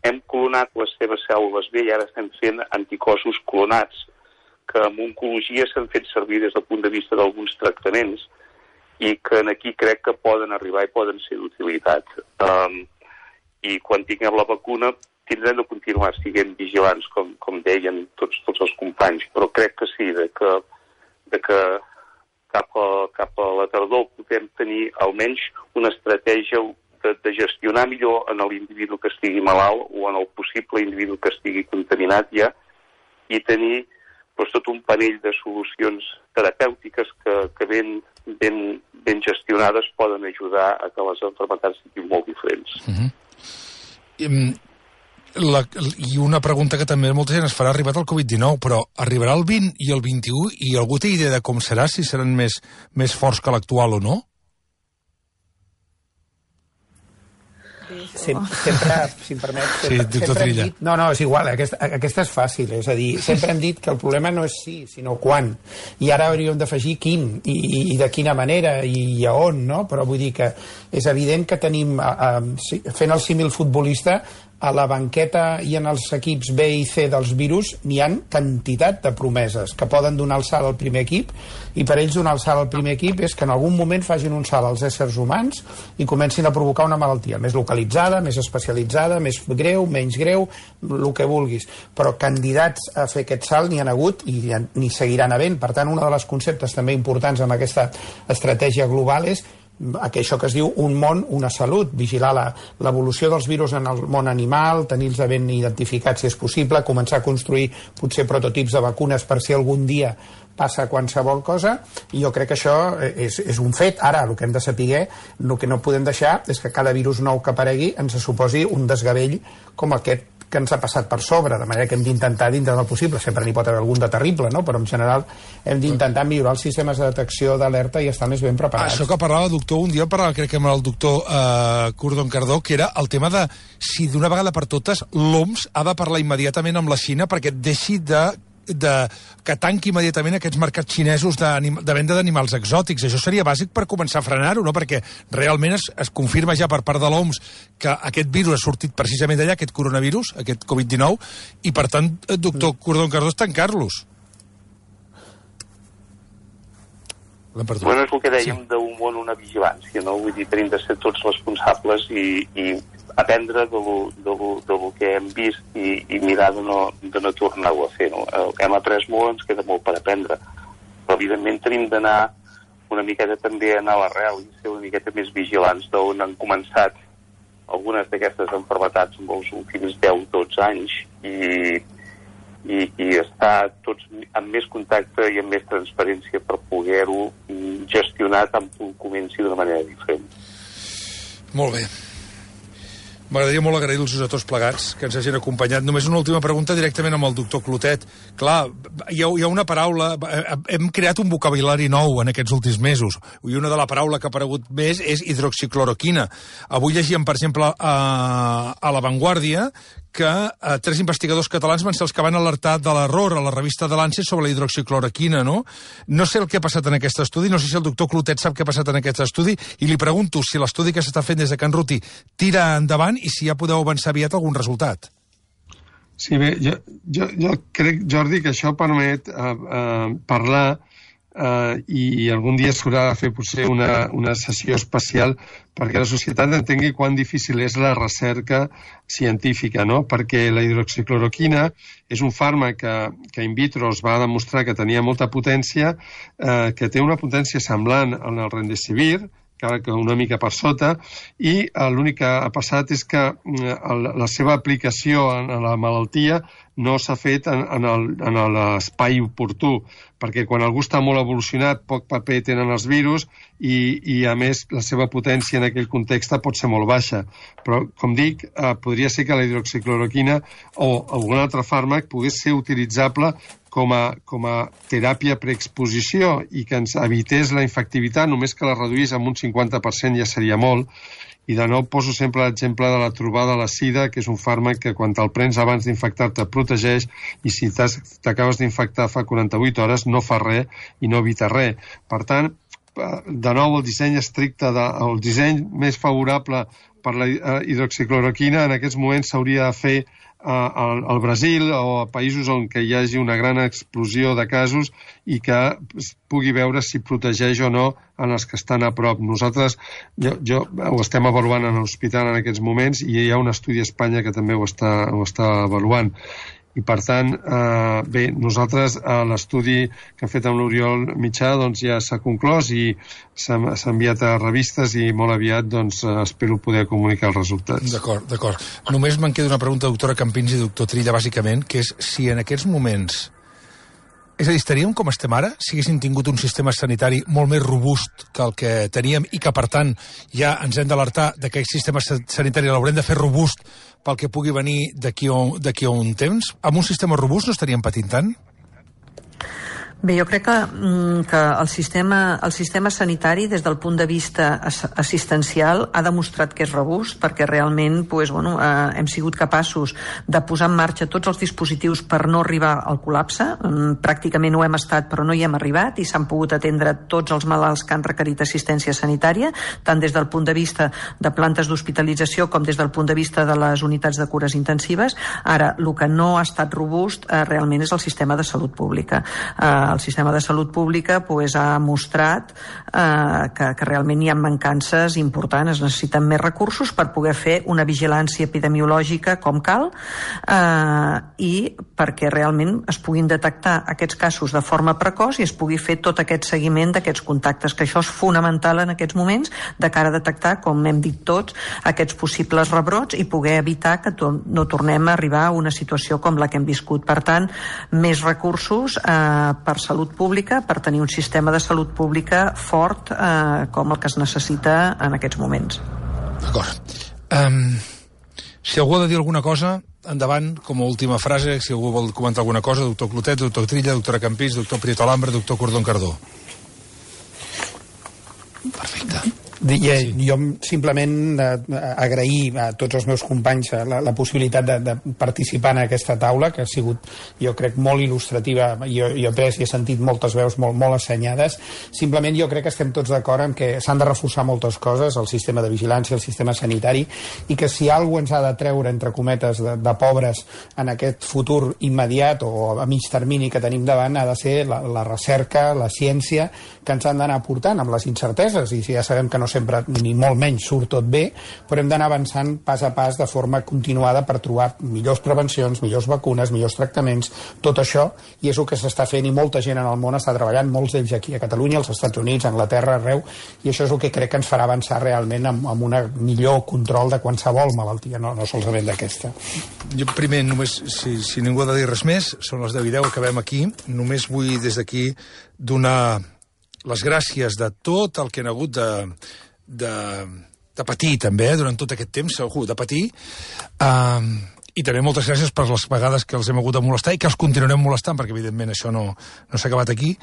Hem clonat les seves cèl·lules B i ara estem fent anticossos clonats, que en oncologia s'han fet servir des del punt de vista d'alguns tractaments i que aquí crec que poden arribar i poden ser d'utilitat. I quan tinguem la vacuna tindrem de continuar siguent vigilants, com deien tots els companys, però crec que sí, que cap a la tardor podem tenir almenys una estratègia de gestionar millor en l'individu que estigui malalt o en el possible individu que estigui contaminat ja i tenir tot un panell de solucions terapèutiques que ben gestionades poden ajudar a que les malalties siguin molt diferents. I una pregunta que també molta gent es farà, ha arribat el Covid-19, però arribarà el 20 i el 21 i algú té idea de com serà, si seran més forts que l'actual o no? Sempre, si em permet... Sí, doctor Trilla. No, és igual, aquesta és fàcil, és a dir, sempre hem dit que el problema no és si, sinó quan, i ara hauríem d'afegir quin, i de quina manera, i a on, no? Però vull dir que és evident que tenim, fent el símil futbolista, a la banqueta i en els equips B i C dels virus n'hi ha quantitat de promeses que poden donar el salt al primer equip, i per ells donar el salt al primer equip és que en algun moment facin un salt als éssers humans i comencin a provocar una malaltia més localitzada, més especialitzada, més greu, menys greu, el que vulguis, però candidats a fer aquest salt n'hi han hagut i n'hi seguiran havent. Per tant, un dels conceptes també importants amb aquesta estratègia global és això que es diu un món, una salut, vigilar l'evolució dels virus en el món animal, tenir-los ben identificats si és possible, començar a construir potser prototips de vacunes per si algun dia passa qualsevol cosa, i jo crec que això és un fet. Ara, el que hem de saber, el que no podem deixar és que cada virus nou que aparegui ens suposi un desgavell com aquest que ens ha passat per sobre, de manera que hem d'intentar dintre del possible, sempre n'hi pot haver algun de terrible, no? Però en general hem d'intentar millorar els sistemes de detecció d'alerta i estar més ben preparats. Això que parlava, doctor, un dia parlava, crec que amb el doctor Cordón-Cardó, que era el tema de si d'una vegada per totes l'OMS ha de parlar immediatament amb la Xina perquè deixi que tanqui immediatament aquests mercats xinesos de venda d'animals exòtics. Això seria bàsic per començar a frenar-ho, no? Perquè realment es confirma ja per part de l'OMS que aquest virus ha sortit precisament d'allà, aquest coronavirus, aquest Covid-19, i per tant, doctor Cordón-Cardó, és tancar-los. Bueno, és el que dèiem d'un món, una vigilància, no? Vull dir, tenim de ser tots responsables i aprendre del que hem vist i mirar de no tornar-ho a fer, no? Hem après molt, ens queda molt per aprendre, però evidentment tenim d'anar una miqueta també a l'arrel i ser una miqueta més vigilants d'on han començat algunes d'aquestes malalties en els últims 10-12 anys i estar tots amb més contacte i amb més transparència per poder-ho gestionar tant que comenci d'una manera diferent. Molt bé. M'agradaria molt agrair-los a tots plegats que ens hagin acompanyat. Només una última pregunta directament amb el doctor Clotet. Clar, hi ha una paraula... Hem creat un vocabulari nou en aquests últims mesos, i una de la paraula que ha aparegut més és hidroxicloroquina. Avui llegíem, per exemple, a La Vanguardia que 3 investigadors catalans van ser els que van alertar de l'error a la revista de Lancet sobre la hidroxicloroquina, no? No sé el que ha passat en aquest estudi, no sé si el doctor Clotet sap què ha passat en aquest estudi, i li pregunto si l'estudi que s'està fent des de Can Ruti tira endavant i si ja podeu avançar aviat algun resultat. Sí, bé, jo crec, Jordi, que això permet parlar i algun dia s'haurà de fer potser una sessió especial perquè la societat entengui quan difícil és la recerca científica, no? Perquè la hidroxicloroquina és un fàrmac que in vitro es va demostrar que tenia molta potència, que té una potència semblant al Remdesivir, encara que una mica per sota, i l'únic que ha passat és que la seva aplicació en la malaltia no s'ha fet en l'espai oportú, perquè quan algú està molt evolucionat, poc paper tenen els virus i a més, la seva potència en aquell context pot ser molt baixa. Però, com dic, podria ser que la hidroxicloroquina o algun altre fàrmac pogués ser utilitzable com a teràpia preexposició i que ens evités la infectivitat, només que la reduís amb un 50% ja seria molt. I de nou poso sempre l'exemple de la trobada de la sida, que és un fàrmac que quan te'l prens abans d'infectar-te protegeix i si t'acabes d'infectar fa 48 hores no fa res i no evita res. Per tant, de nou el disseny estricte, el disseny més favorable per la hidroxicloroquina en aquests moments s'hauria de fer al Brasil o a països on hi hagi una gran explosió de casos i que es pugui veure si protegeix o no en els que estan a prop. Nosaltres ho estem avaluant en l'hospital en aquests moments i hi ha un estudi a Espanya que també ho està avaluant. I, per tant, bé, nosaltres l'estudi que hem fet amb l'Oriol Mitjà doncs, ja s'ha conclòs i s'ha enviat a revistes i molt aviat doncs, espero poder comunicar els resultats. D'acord. Només me'n queda una pregunta, doctora Campins i doctor Trilla, bàsicament, que és si en aquests moments... És a dir, estaríem com estem ara si haguéssim tingut un sistema sanitari molt més robust que el que teníem i que, per tant, ja ens hem d'alertar que aquest sistema sanitari l'haurem de fer robust pel que pugui venir d'aquí a un temps? Amb un sistema robust no estaríem patint tant? Bé, jo crec que el sistema sanitari, des del punt de vista assistencial, ha demostrat que és robust, perquè realment hem sigut capaços de posar en marxa tots els dispositius per no arribar al col·lapse. Pràcticament ho hem estat, però no hi hem arribat, i s'han pogut atendre tots els malalts que han requerit assistència sanitària, tant des del punt de vista de plantes d'hospitalització com des del punt de vista de les unitats de cures intensives. Ara, el que no ha estat robust realment és el sistema de salut pública. El sistema de salut pública ha mostrat que realment hi ha mancances importants. Es necessiten més recursos per poder fer una vigilància epidemiològica com cal i perquè realment es puguin detectar aquests casos de forma precoç i es pugui fer tot aquest seguiment d'aquests contactes, que això és fonamental en aquests moments de cara a detectar, com hem dit tots, aquests possibles rebrots i poder evitar que no tornem a arribar a una situació com la que hem viscut. Per tant, més recursos per salut pública, per tenir un sistema de salut pública fort com el que es necessita en aquests moments. D'acord. Si algú ha de dir alguna cosa, endavant, com a última frase, si algú vol comentar alguna cosa, doctor Clotet, doctor Trilla, doctora Campins, doctor Prieto Alambre, doctor Cordón Cardó. Perfecte. Jo simplement agrair a tots els meus companys la possibilitat de participar en aquesta taula, que ha sigut, jo crec, molt il·lustrativa. Jo he pres i he sentit moltes veus molt assenyades. Simplement jo crec que estem tots d'acord en que s'han de reforçar moltes coses, el sistema de vigilància, el sistema sanitari, i que si alguna ens ha de treure, entre cometes, de pobres en aquest futur immediat o a mig termini que tenim davant, ha de ser la recerca, la ciència, que ens han d'anar portant amb les incerteses, i si ja sabem que no sempre, ni molt menys, surt tot bé, però hem d'anar avançant pas a pas de forma continuada per trobar millors prevencions, millors vacunes, millors tractaments, tot això, i és el que s'està fent, i molta gent en el món està treballant, molts d'ells aquí a Catalunya, als Estats Units, a Anglaterra, arreu, i això és el que crec que ens farà avançar realment amb un millor control de qualsevol malaltia, no solament d'aquesta. Jo primer, només, si ningú ha de dir res més, són les 10:10, acabem aquí. Només vull des d'aquí donar les gràcies de tot el que han hagut de patir també, durant tot aquest temps, segur, de patir, i també moltes gràcies per les vegades que els hem hagut de molestar i que els continuarem molestant, perquè evidentment això no s'ha acabat aquí.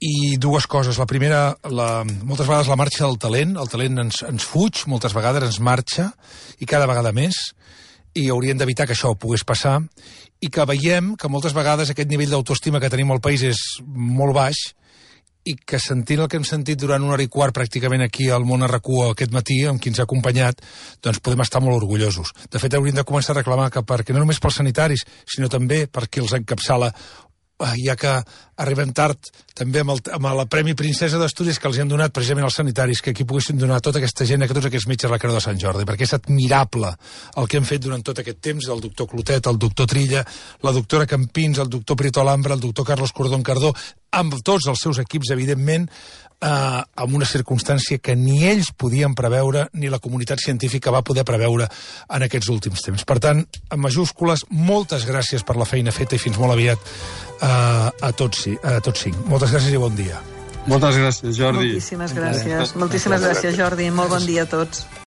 I dues coses. La primera, moltes vegades la marxa del talent. El talent ens fuig, moltes vegades ens marxa, i cada vegada més, i hauríem d'evitar que això pogués passar, i que veiem que moltes vegades aquest nivell d'autoestima que tenim al país és molt baix, i que sentint el que hem sentit durant 1 hora i quart pràcticament aquí al Món a RAC1 aquest matí, amb qui ens ha acompanyat, doncs podem estar molt orgullosos. De fet, hauríem de començar a reclamar que perquè no només pels sanitaris, sinó també per qui els encapçala, ja que arribem tard també amb el Premi Princesa d'Astúries que els han donat precisament als sanitaris, que aquí poguessin donar tota aquesta gent, a tots aquests metges a la Creu de Sant Jordi, perquè és admirable el que hem fet durant tot aquest temps, el doctor Clotet, el doctor Trilla, la doctora Campins, el doctor Prieto Alhambra, el doctor Carlos Cordón-Cardó, amb tots els seus equips, evidentment, amb una circumstància que ni ells podien preveure, ni la comunitat científica va poder preveure en aquests últims temps. Per tant, en majúscules, moltes gràcies per la feina feta i fins molt aviat a tots 5. Moltes gràcies i bon dia. Moltes gràcies, Jordi. Moltíssimes gràcies, Jordi. Molt bon dia a tots.